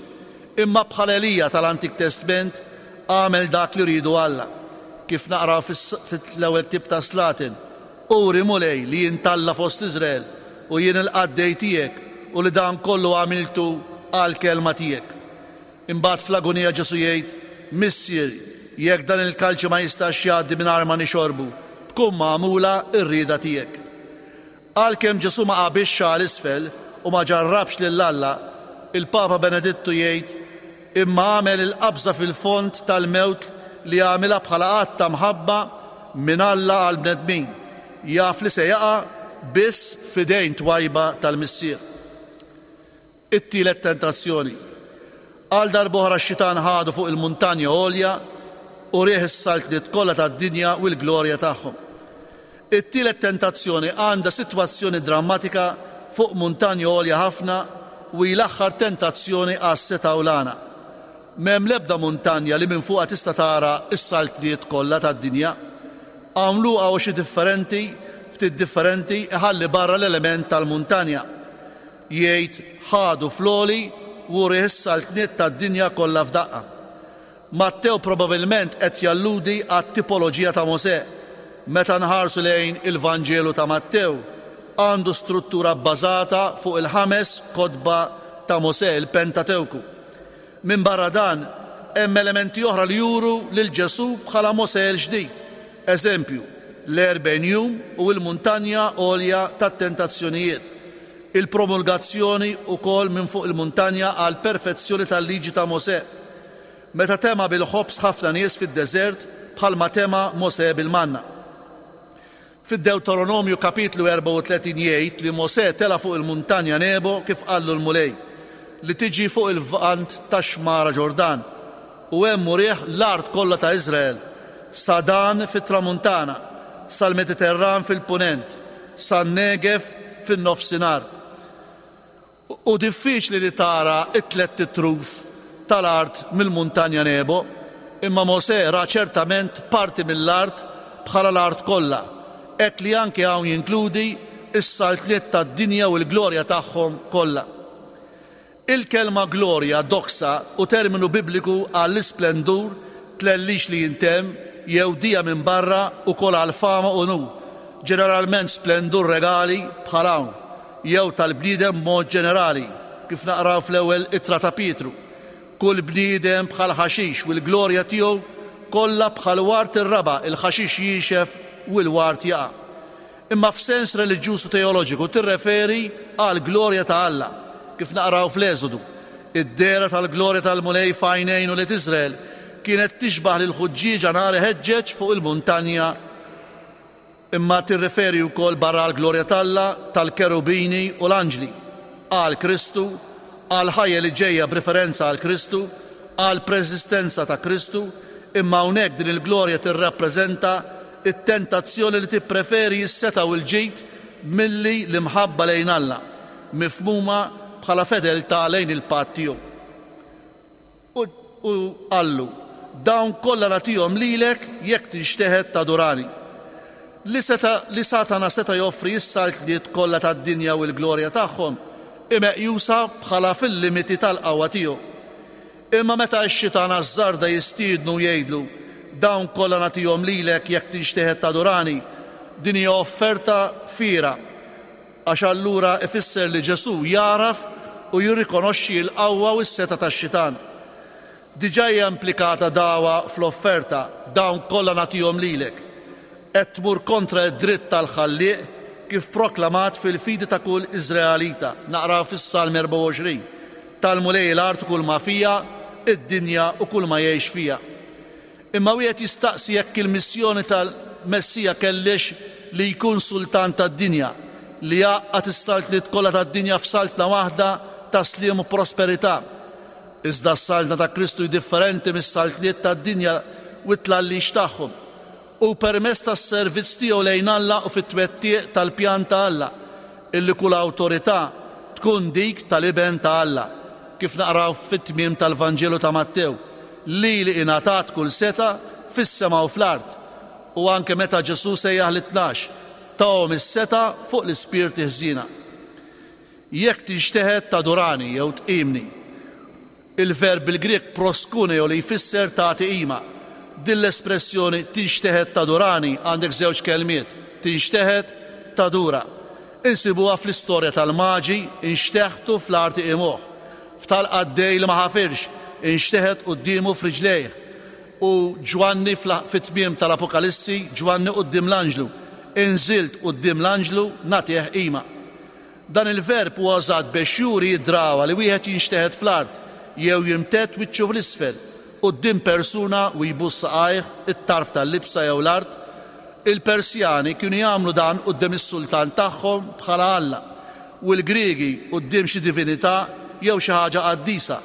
imma bħala Elija tal-Antik Testment għamel dak li riedu Alla. Kif naqraw fil-ewwel ktieb ta' Slaten, uri Mulej li jintalla fost Iżrael u jien il-qaddej tiegħek u li dan kollu għamiltu għal kelma tiegħek. Imbagħad fl-agonija Ġesù jgħid, Missier, jekk dan il-kalċi ma jistax jgħaddi mingħajr ma nixorbu, tkun magħmula r-rieda tiegħek. Għalkemm Ġesù ma qabixx għal isfel u ma ġarrabx lil Alla, il-Papa Benedittu jgħid, imma għamel il-qabża fil-fond tal-mewt li għamilha bħala att ta' mħabba minn Alla għal bnedmin. Jaf li se jaqa' biss f'idejn twajba tal-Missier. It-tielet tentazzjoni. Għal darb'oħra x-xitan ħadu fuq il-muntanja għolja u riħ is-saltniet kollha tad-dinja u l-glorja tagħhom. It-tielet tentazzjoni għandha sitwazzjoni drammatika fuq muntanja għolja ħafna u hi l-aħħar tentazzjoni għas-setgħa u l-għana. M'hemm l-ebda muntanja li minn fuqha tista' tara s-saltniet kollha tad-dinja. Hawn Luqa u xi differenti, ftit differenti, iħalli barra l-element tal-muntanja. Jgħid ħadu floli u riħ is-saltniet tad-dinja kollha f'daqqa. Mattew probabilment qed jalludi għat-tipoloġija ta' Mosè meta nħarsu lejn il-Vanġelu ta' Mattew, għandu struttura bbażata fuq il-ħames kotba ta' Mosè, il-Pentatewku. Minn barra dan, hemm elementi oħra li juru lil Ġesù bħala Mosè l-ġdid. Eżempju, l-erbgħin jum u l-muntanja għolja tat-tentazzjonijiet. Il-promulgazzjoni wkoll minn fuq il-muntanja għal perfezzjoni tal-liġi ta' Mosè. Meta tema bil-ħobż ħafna nies fid-deżert bħalma tema Mosè bil-manna. Fid-Deuteronomju kapitlu erbgħa u tletin jgħid li Mosè tela fuq il-muntanja Nebo kif qallu l-Mulej, li tiġi fuq il-vant tax-xmara Ġordan, u hemm urih l-art kollha ta' Iżrael, sa Dan fit-tramuntana, sal-Mediterran fil-punent, san-Negev fin-nofsinhar. U diffiċli li tara it-tlet truf tal-art mill-muntanja Nebo, imma Mosè ra ċertament parti mill-art bħala l-art kollha, hekk li anke hawn jinkludi s-saltniet tad-dinja u l-glorja tagħhom kollha. Il-kelma glorja, doxa, u terminu bibliku għall-isplendur, tlellix li jintemm jew dija minn barra u kol għal fama u nu, ġeneralment splendur regali bħal hawn, jew tal-bniedem mod ġenerali, kif naqraw fl-ewwel ittra ta' Pietru. Kull bniedem bħal ħaxix u l-glorja tiegħu kollha bħal wart ir-raba', il-ħaxix jiexef u l-wart jaqa'. Imma f'sens reliġjuż u teoloġiku tirreferi għal glorja ta' Alla, kif naqraw fl-Eżodu. Id-dehra tal-glorja tal-Mulej f'għajnejn ulied Iżrael kienet tixbaħ lil ħuġġieġa nar iħeġġeġ fuq il-muntanja, imma tirreferi wkoll barra għall-glorja t'Alla, tal-kerubini u l-anġli, għal Kristu, għal ħajja li ġejja b'referenza għal Kristu, għal preżistenza ta' Kristu, imma hawnhekk din il-glorja tirrappreżenta it-tentazzjoni li tippreferi s-setgħa u l-ġid milli l-imħabba lejn Alla, mifhmuma bħala fedeltà lejn il-patt tiegħu. U qallu, dawn kollha nagħtihom lilek jekk tinxteħet tadurani. Li seta, li Satana seta' joffri s-saltniet kollha tad-dinja u l-glorja tagħhom imeqjusa bħala fil-limiti tal-qawwa tiegħu. Imma meta x-xitan ażżarda jistiednu jgħidlu, dawn kollha nagħtihom lilek jekk tinxteħet tadurani, din hija offerta fiera, għax allura ifisser li Ġesù jaraf u jirrikonoxxi l-qawwa u s-setgħa tax-xitan. Diġà hija implikata dawa fl-offerta, dawn kollha nagħtihom lilek. Qed tmur kontra d-dritt tal-Ħallieq kif proklamat fil-fidi ta' kull Iżraelita. Naqraw fis-Salm erbgħa u għoxrin, tal-Mulej l-art u kull ma fija, id-dinja u kull ma jgħix fija. Imma wieħed jistaqsi jekk il-missjoni tal-Messija kellix li jkun sultan tad-dinja, li jgħaqqad is-saltniet kollha tad-dinja f'saltna waħda ta' sliem u prosperità. Iżda s-saltna ta' Kristu hi differenti mis-saltniet tad-dinja u t-tlallix tagħhom. U permezz tas-servizz tiegħu lejn Alla u fit-twettiq tal-pjan ta' Alla, illi kull awtorità tkun dik tal-Iben ta' Alla, kif naqraw fit-tmiem tal-Vanġelu ta' Mattew, li li ingħatat kull seta' fis-sema u fl-art. U anke meta Ġesù sejjaħ lit-tnax, tahom is-seta' fuq l-ispirti ħżiena. Jekk tinxteħet tadurani jew tqimni. Il-verb bil-Grek proskuneo li jfisser tagħti qima. Din l-espressjoni tinxteħet tadurani għandek żewġ kelmiet, tinxteħet tadura. Insibuha fl-istorja tal-maġi, inxteħtu fl-arti imuħ. F'tal-qaddej li ma ħafirx, inxteħet quddiemu f'riġlejh. U Ġwanni fit-tmiem tal-Apokalissi, Ġwanni quddiem l-anġlu, inżilt quddiem l-anġlu nagħtih qima. Dan il-verb huwa użat biex juri d-drawa li wieħed jinxteħet fl-art jew jimtedd wiċċu fl-isfel quddiem persuna u jbus saqajh it-tarf tal-libsa jew l-art. Il-Persjani kienu jagħmlu dan quddiem is-sultan tagħhom bħala Alla, u l-Griegi quddiem xi divinità jew xi ħaġa qaddisa,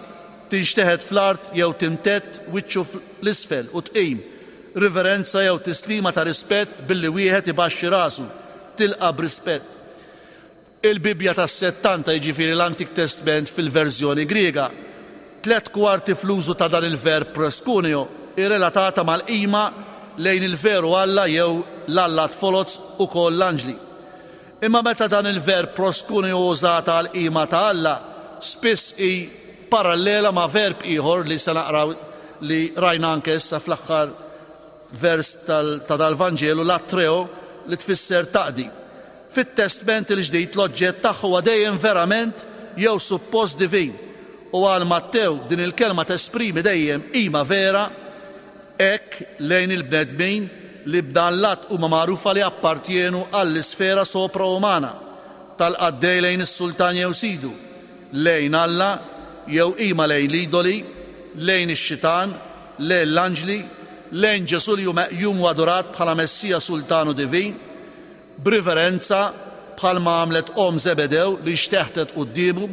tinxteħet fl-art jew timtedd wiċċu l-isfel u tqim, riverenza jew tislima ta' rispett billi wieħed ibaxxi rasu, tilqa' b'rispett. Il-Bibbja tas-Settanta, jiġifieri l-Antik Testament fil-verżjoni Griega, tliet kwarti fl-użu ta' dan il-verb proskuneo irrelatata mal-qima lejn il-veru Alla jew l-Alla tfoloz u koll l-anġli. Imma meta dan il-verb proskuneo użata għal-qima ta' Alla, spiss hi parallela ma' verb ieħor li se naqraw li rajna anke issa fl-aħħar vers ta' dal-Vanġelu, latreo, li tfisser taqdi. Fit-Testment il-Ġdid l-oġġett tagħha huwa dejjem verament jew suppost divin. U għal Mattew din il-kelma tesprimi dejjem qima vera hekk lejn il-bnedmin li b'dan l-att huma magħrufa li appartjenu għall-isfera sopraumana tal-qaddej lejn is-sultan jew sidu, lejn Alla jew qima lejn l-idoli, lejn ix-xitan, lejn l-anġli, lejn Ġesù li hu meqjum u adorat bħala Messija Sultanu Divin, b'riverenza bħalma għamlet omm Zebedew li xteħtet quddiemu.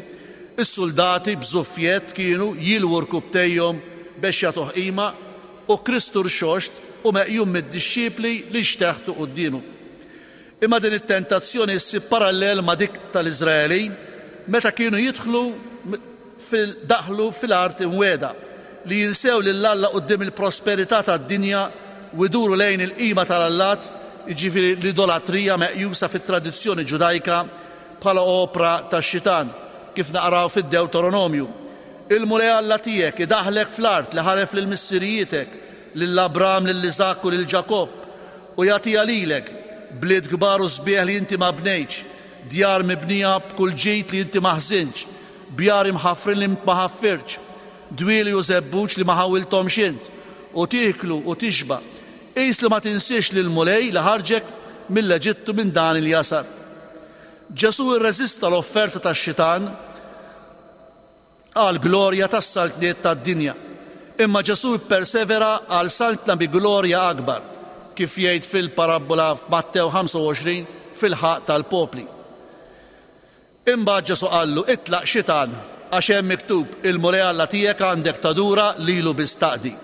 Is-soldati b'żuffjett kienu jilwu rkubtejhom biex jagħtuh qima, u Kristu rxoxt u meqjum mid-dixxipli li xteħtu quddiemu. Imma din it-tentazzjoni ssib parallel ma' dik tal-Iżraelin meta kienu jidħlu fil-daħlu fil-art imwiegħda, li jinsew lil Alla quddiem il-prosperità tad-dinja u jduru lejn il-qima tal-allat, jiġifieri l-idolatrija meqjusa fit-tradizzjoni ġudajka bħala opra tax-xitan, kif naqraw fid-Deuteronomju. Il-Mulej Alla tiegħek idaħlek fl-art li ħaref lil missirijietek, lil Abram, lil Iżakk u lil Ġakobb, u jagħtiha lilek, bliet kbar u sbieħ li inti ma bnejtx, djar mibnija b'kull ġid li inti ma ħżintx, bjar imħaffrin li ma ħaffirtx, dwieli u żebbuġ li ma ħawilthomx int, u tieklu u tixba'. Qis li ma tinsiex lil Mulej li ħarġek mill-Eġittu minn dan il-jasar. Ġesù irreżista l-offerta tax-xitan għal glorja tas-saltniet tad-dinja, imma Ġesù ppersevera għal saltna bi glorja akbar, kif jgħid fil-parabbola f'Mattew ħamsa u għoxrin fil-ħaqq tal-popli. Imbagħad Ġesù qallu: itlaq xitan, għax hemm miktub, il-Mulej Alla tiegħek għandek tadura lilu biss taqdi.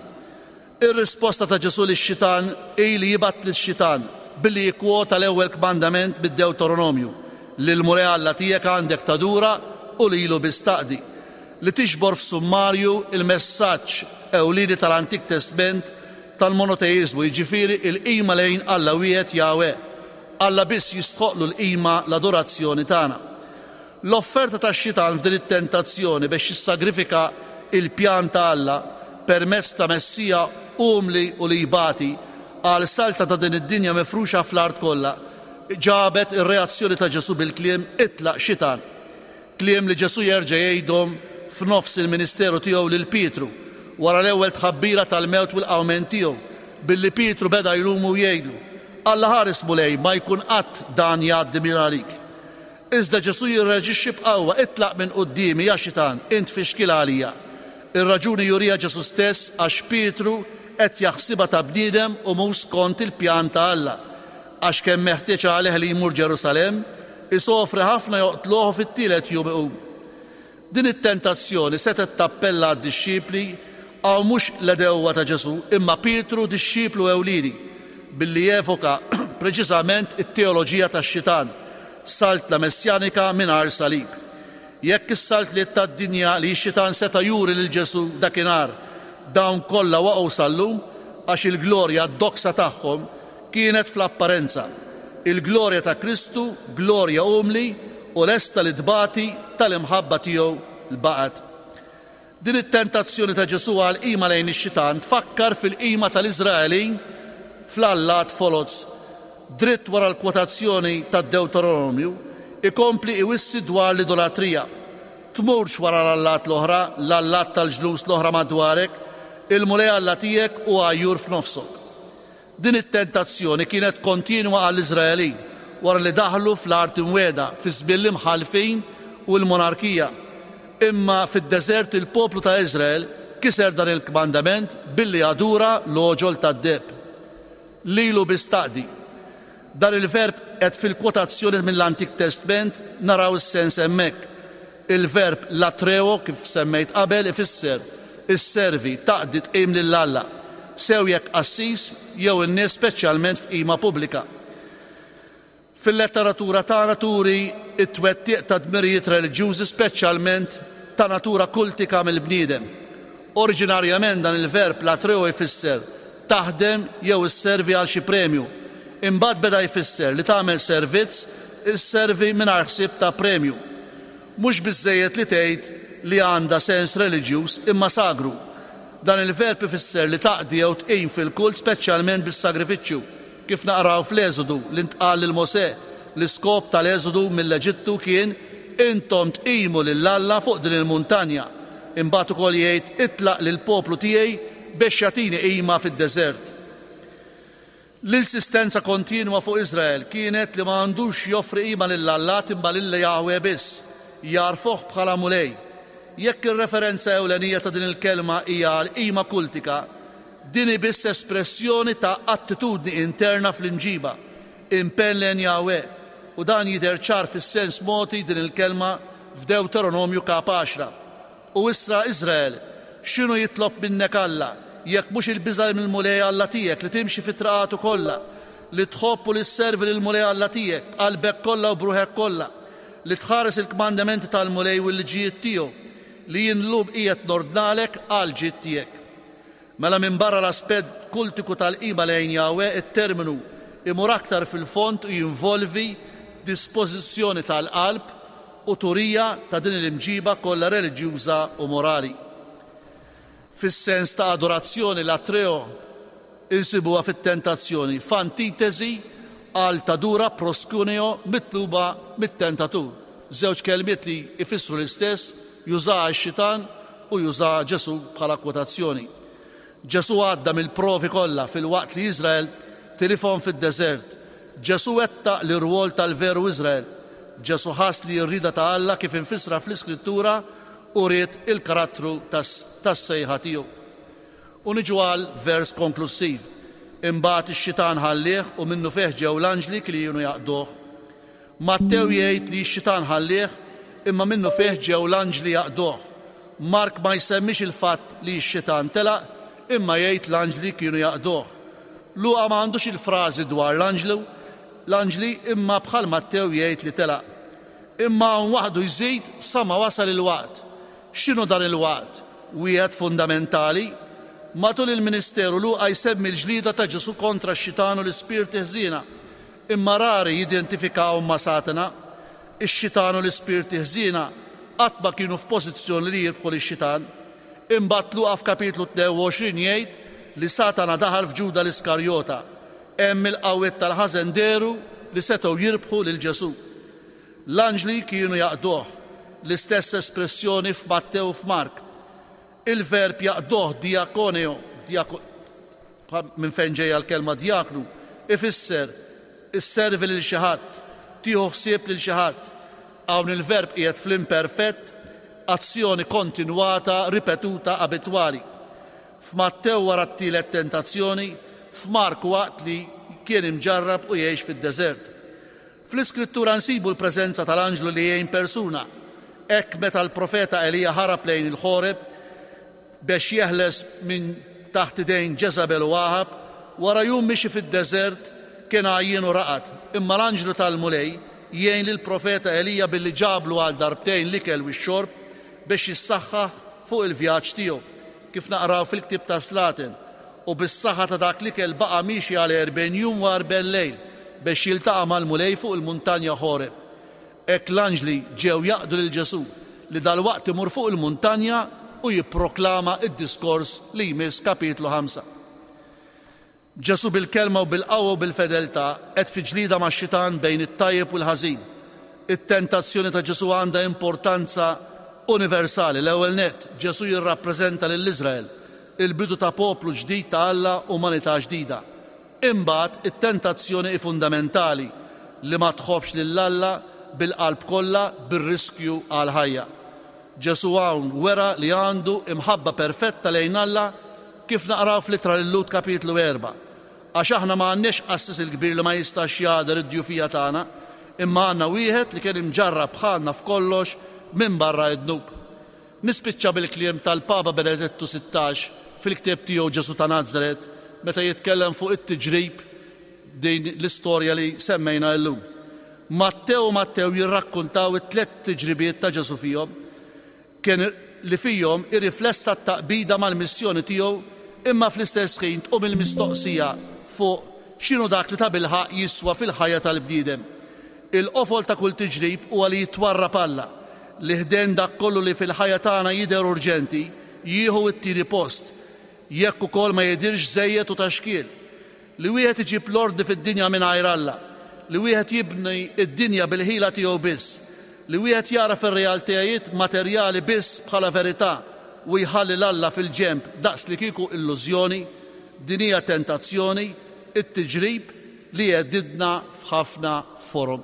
Ir-risposta ta' Ġesù lix-xitan hi li jibgħat lix-xitan billi jikkwota l-ewwel kmandament mid-Deuteronomju, li l-Mulej Alla tiegħek għandek tadura u lilu biss taqdi, li tixbor f'summarju il-messaġġ ewlieni tal-Antik Testament tal-monoteizmu, jiġifieri il-qima lejn Alla wieħed Jahwe. Alla biss jistħoqlu l-qima, l-adorazzjoni tagħna. L-offerta tax-xitan f'din it-tentazzjoni biex jissagrifika il-pjan ta' Alla permezz ta' Messija umli u li jbati għal salta ta' din id-dinja mifruxa fl-art kollha, ġabet ir-reazzjoni ta' Ġesù bil-kliem itlaq xitan. Kliem li Ġesù jerġa' jgħidhom f'nofs il-ministeru tiegħu lil Pietru wara l-ewwel tħabbira tal-mewt u l-qawmien tiegħu, billi Pietru beda jlumu u jgħidlu: Alla ħares Mulej, ma jkun qatt dan jgħaddi minn għalik. Iżda Ġesù jirreaġixxi b'qawwa: itlaq minn quddiemi ja xitan, int fixkil għalija. Ir-raġuni jurija Ġesù stess għax Pietru qed jaħsibha ta' bniedem u mhux skont il-pjan ta' Alla, għax kemm meħtieġ għalih li jmur Ġerusalemm, isofri ħafna joqtluh fit-tielet jum iqum. Din it-tentazzjoni setgħet tappella għad-dixxipli għaw mhux l-edewwa ta' Ġesù, imma Pietru dixxiplu ewlieni, billi jevoka preċiżament it-teoloġija tax-xitan, saltna messjanika mingħajr salib. Jekk is-saltliet tad-dinja li x-xitan seta' juri lil Ġesù dakinhar, dawn kollha waqgħu sal-lum għax il-glorja d-doksa tagħhom kienet fl-apparenza. Il-glorja ta' Kristu, glorja umli u lesta li tbati tal-imħabba tiegħu l-baqgħet. Din it-tentazzjoni ta' Ġesù għal qima lejn ix-xitan tfakkar fil-qima tal-Iżraelin fl-allat foloz. Dritt wara l-kwotazzjoni tad-Deuteronomju ikompli iwissi dwar l-idolatrija. Tmurx wara l-allat l-oħra, l-allat tal-ġlus l-oħra madwarek, il-Mulej Alla tiegħek u għajjur f'nofsok. Din it-tentazzjoni kienet kontinwa għall-Iżraelin wara li daħlu fl-art imwiegħda fi żmien l-imħallfin u l-monarkija. Imma fid-deżert il-poplu ta' Iżrael kiser dan il-kmandament billi adura l-oġol tad-deheb. Lilu biss taqdi. Dan il-verb qed fil-kwotazzjoni mill-Antik Testament naraw is-sens hemmhekk. Il-verb latreo, kif semmejt qabel, ifisser isservi, taqdi, tqim lil Alla, sew jekk qassis jew in-nies speċjalment f'qima pubblika. Fil-letteratura tagħna turi t-twettiq ta' dmirijiet reliġjużi speċjalment ta' natura kultika mill-bniedem. Oriġinarjament dan il-verb latreo jfisser taħdem jew isservi għal xi premju. Imbagħad beda jfisser li tagħmel servizz, isservi mingħajr ħsieb ta' premju. Mhux biżżejjed li tgħid li għandha sens reliġjuż imma sagru. Dan il-verb ifisser li taqdi jew tqim fil-kult, speċjalment bis-sagrifiċċju, kif naqraw fl-Eżodu li ntqal lil Mosè. L-iskop tal-Eżodu mill-Eġittu kien intom tqimu lil Alla fuq din il-muntanja. Imbagħad ukoll jgħid itlaq lill-poplu tiegħi biex jagħtini qima fid-deżert. L-insistenza kontinwa fuq Iżrael kienet li ma għandux joffri qima lill-allat imma lil Jahwe biss, jagħrfuh bħala Mulej. Jekk ir-referenza ewlenija ta' din il-kelma hija għal qima kultika, din hi biss espressjoni ta' attitudni interna fl-imġiba, impenn lejn Jahwe, u dan jidher ċar fis-sens mogħti din il-kelma f'Dewteronomju kap għaxra. U issa Iżrael, x'inhu jitlob minnek Alla, jekk mhux il-biża' mill-Mulej Alla tiegħek li timxi fi traqatu kollha, li tħobb u li sservi lill-Mulej Alla tiegħek b'qalbek kollha u b'ruħek kollha, li tħares il-kmandamenti tal-Mulej u l-liġijiet tiegħu, li jien llum qiegħed nordnalek għal ġid tiegħek. Mela minbarra l-aspett kultiku tal-qima lejn Jahwe, it-terminu imur aktar fil-fond u jinvolvi dispożizzjoni tal-qalb u turija ta' din l-imġiba kollha reliġjuża u morali. Fis-sens ta' adorazzjoni latreo insibuha fit-tentazzjoni, f'antitesi għal tadura proskuneo mitluba mit-tentatur. Żewġ kelmiet li jfissru l-istess, jużaha x-xitan u jużaha Ġesù bħala kwotazzjoni. Ġesù għadda mill-provi kollha filwaqt li Iżrael tilifhom fid-deżert. Ġesù wettaq l-irwol tal-veru Iżrael. Ġesù ħass li r-rieda ta' Alla kif infissra fl-Iskrittura u ried il-karattru tas-sejħa tiegħu. U niġu għal vers konklussiv. Imbagħad ix-xitan ħallih u minnu fih ġew l-anġli kienu jaqduh. Mattew jgħid li x-xitan ħallih imma minnu fih ġew l-anġli jaqduh. Mark ma jsemmix il-fatt li x-xitan telaq imma jgħid l-anġli kienu jaqduh. Luqa ma għandux il-frażi dwar l-anġlu, l-anġli imma bħal Mattew jgħid li telaq. Imma hawn waħdu jżid sa ma wasal il-waqt. X'inhu dan il-waqt? Wieħed fundamentali. Matul il-ministeru Luqa jsemmi l-ġlieda ta' Ġesù kontra x-xitan u l-ispirti ħżiena, imma rari jidentifikawhom ma' Satana. Ix-xitan u l-ispirti ħżiena qatt ma kienu f'pożizzjoni li jirbħu lix-xitan. Imbagħad Luqa f'kapitlu tnejn u għoxrin jgħid li Satana daħal f'Ġuda l-Iskarjota. Hemm il-qawwiet tal-ħażen dehru li setgħu jirbħu lil Ġesù. L-anġli kienu jaqduh, l-istess espressjoni f'Mattew u f'Mark. Il-verb jaqduh diakoneo, diako, minn fejn ġejja l-kelma diaknu, ifisser isservi lil xi ħadd, tieħu ħsieb lil xi ħadd. Hawn il-verb qiegħed fl-imperfett, azzjoni kontinwata, ripetuta, abitwali. F'Mattew wara t-tielet tentazzjoni, f'Mark waqt li kien imġarrab u jgħix fid-deżert. Fl-Iskrittura nsibu l-preżenza tal-anġlu li jgħin persuna. Hekk meta l-profeta Elija ħarab lejn il-Ħoreb biex jeħles minn taħt idejn Ġeżabel u Aħab, wara jum mixi fid-deżert kien għajjien u raqad. Imma l-anġlu tal-Mulej jgħin lill-profeta Elija billi ġablu għal darbtejn l-ikel u x-xorb biex jissaħħaħ fuq il-vjaġġ tiegħu, kif naqraw fil-ktieb ta' Slaten. U bis-saħħa ta' dak l-ikel baqa' miexi għal erbgħin jum u erbgħin lejl biex jiltaqa' mal-Mulej fuq il-muntanja Ħoreb. Hekk l-anġli ġew jaqdu lil Ġesù li dalwaqt imur fuq il-muntanja u jipproklama id-diskors li jmiss kapitlu ħamsa. Ġesù bil-kelma u bil-qawwa u bil-fedeltà qed fi ġlieda max-xitan bejn it-tajjeb u l-ħażin. It-tentazzjoni ta' Ġesù għandha importanza universali. L-ewwel nett, Ġesù jirrappreżenta lil Iżrael, il-bidu ta' poplu ġdid ta' Alla, umanità ġdida. Imbagħad it-tentazzjoni hi fundamentali li ma tħobbx lil Alla bil-qalb kollha bir-riskju għal ħajja. Ġesù hawn wera li għandu imħabba perfetta lejn Alla kif naqraw fl-ittra lil Lhud kapitlu erba'. Għax aħna ma għandniex qassis il-kbir li ma jistax jagħder id-djufija tagħna, imma għandna wieħed li kien imġarrab bħalna f'kollox minn barra id-dnub. Nispiċċa bil-kliem tal-Papa Benedettu sittax fil-ktieb tiegħu Ġesù ta' Nazaret meta jitkellem fuq it-tiġrib din l-istorja li semmejna llum. Mattew u Mattew jirrakkontaw it-tliet tiġribiet ta' Ġesù fihom, kien li fihom irriflessa t-taqbida mal-missjoni tiegħu, imma fl-istess ħin tqum il-mistoqsija fuq x'inhu dak li tabilħaq jiswa fil-ħajja tal-bniedem. Il-qofol ta' kull tiġrib huwa li jitwarrab Alla, li ħdejn dak kollu li fil-ħajja tagħna jidher urġenti, jieħu t-tieni post, jekk ukoll ma jidhirx żejjed u ta' xkiel. Li wieħed iġib l-ordni fid-dinja mingħajr Alla, li wieħed jibni d-dinja bil-ħila tiegħu biss, li wieħed jara fir-realtajiet materjali biss bħala verità u jħalli 'l Alla fil-ġenb daqs li kieku illużjoni, din hija tentazzjoni, it-tiġrib li jgħeddidna f'ħafna forom.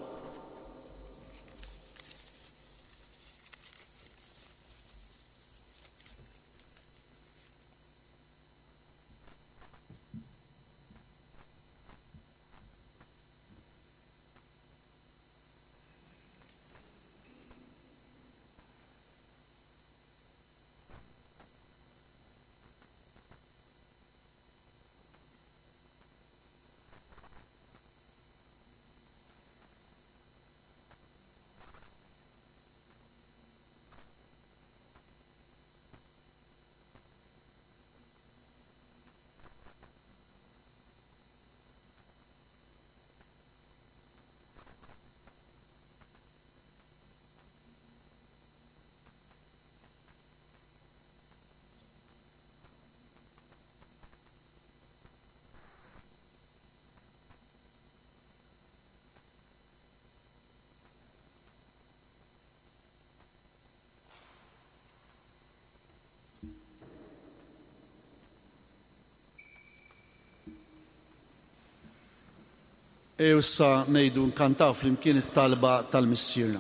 Ejjew issa ngħidu nkantaw flimkien it-talba tal-Missierna.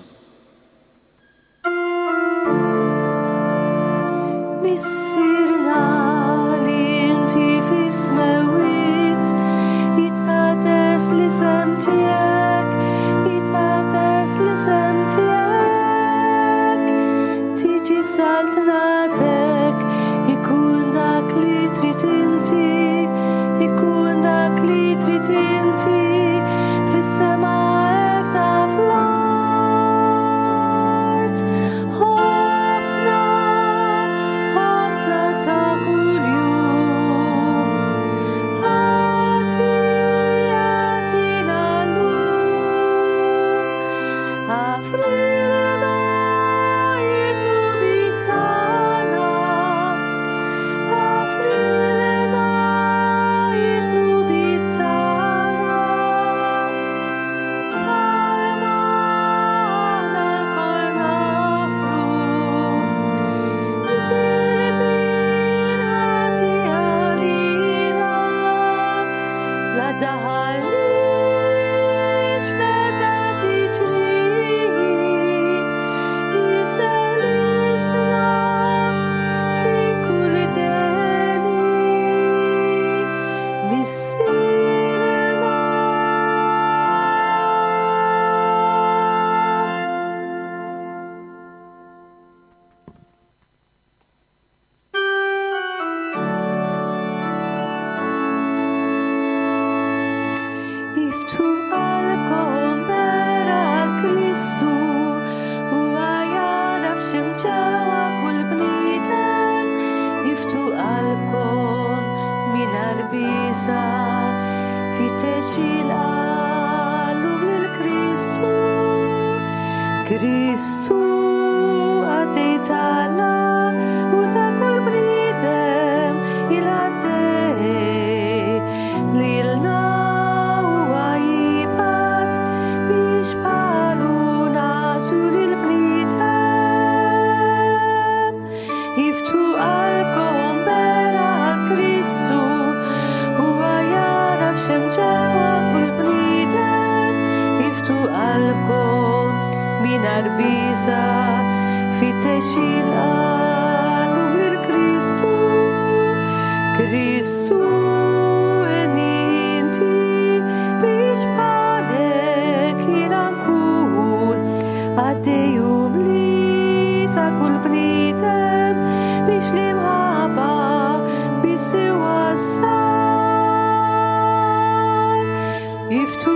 Missierna li inti fis-smewwiet, jitqaddes l-isem tiegħek, jitqaddes l-isem tiegħek. Tiġi saltnatek, ikun dak li trid inti, ikun dak li trid inti. Fis-sema hekk ta' fl-art. Ħobżna, ħobżna ta' kuljum. Agħti, agħtina llum. Aghfrilna d-dnubiet tagħna. Aghfrilna d-dnubiet tagħna. Bħalma aħna lkoll nafru lil min ħati għalina. La daħalniex f'ebda tiġrib, isellisna minn kull deni. Missierna. Iftħu qalbkom bera għal Kristu, huwa jaraf x'hemm ġewwa kull bniedem. Iftħu qalbkom mingħajr biża', fittex il-qalb lil Kristu. Kristu għaddej tagħna u ta' kull bniedem il-għaddej lilna huwa jibgħat biex bħalu nagħtu lill-bniedem. Iftħu qalbkom bera għal Kristu, huwa jaraf x'hemm ġewwa kull bniedem. Iftħu qalbkom mingħajr biża', fittex il-qalb lil Kristu. Kristu inti biex bħalek jiena nkun għaddej umli ta' kull bniedem biex l-imħabba biss iwassal. Iftħu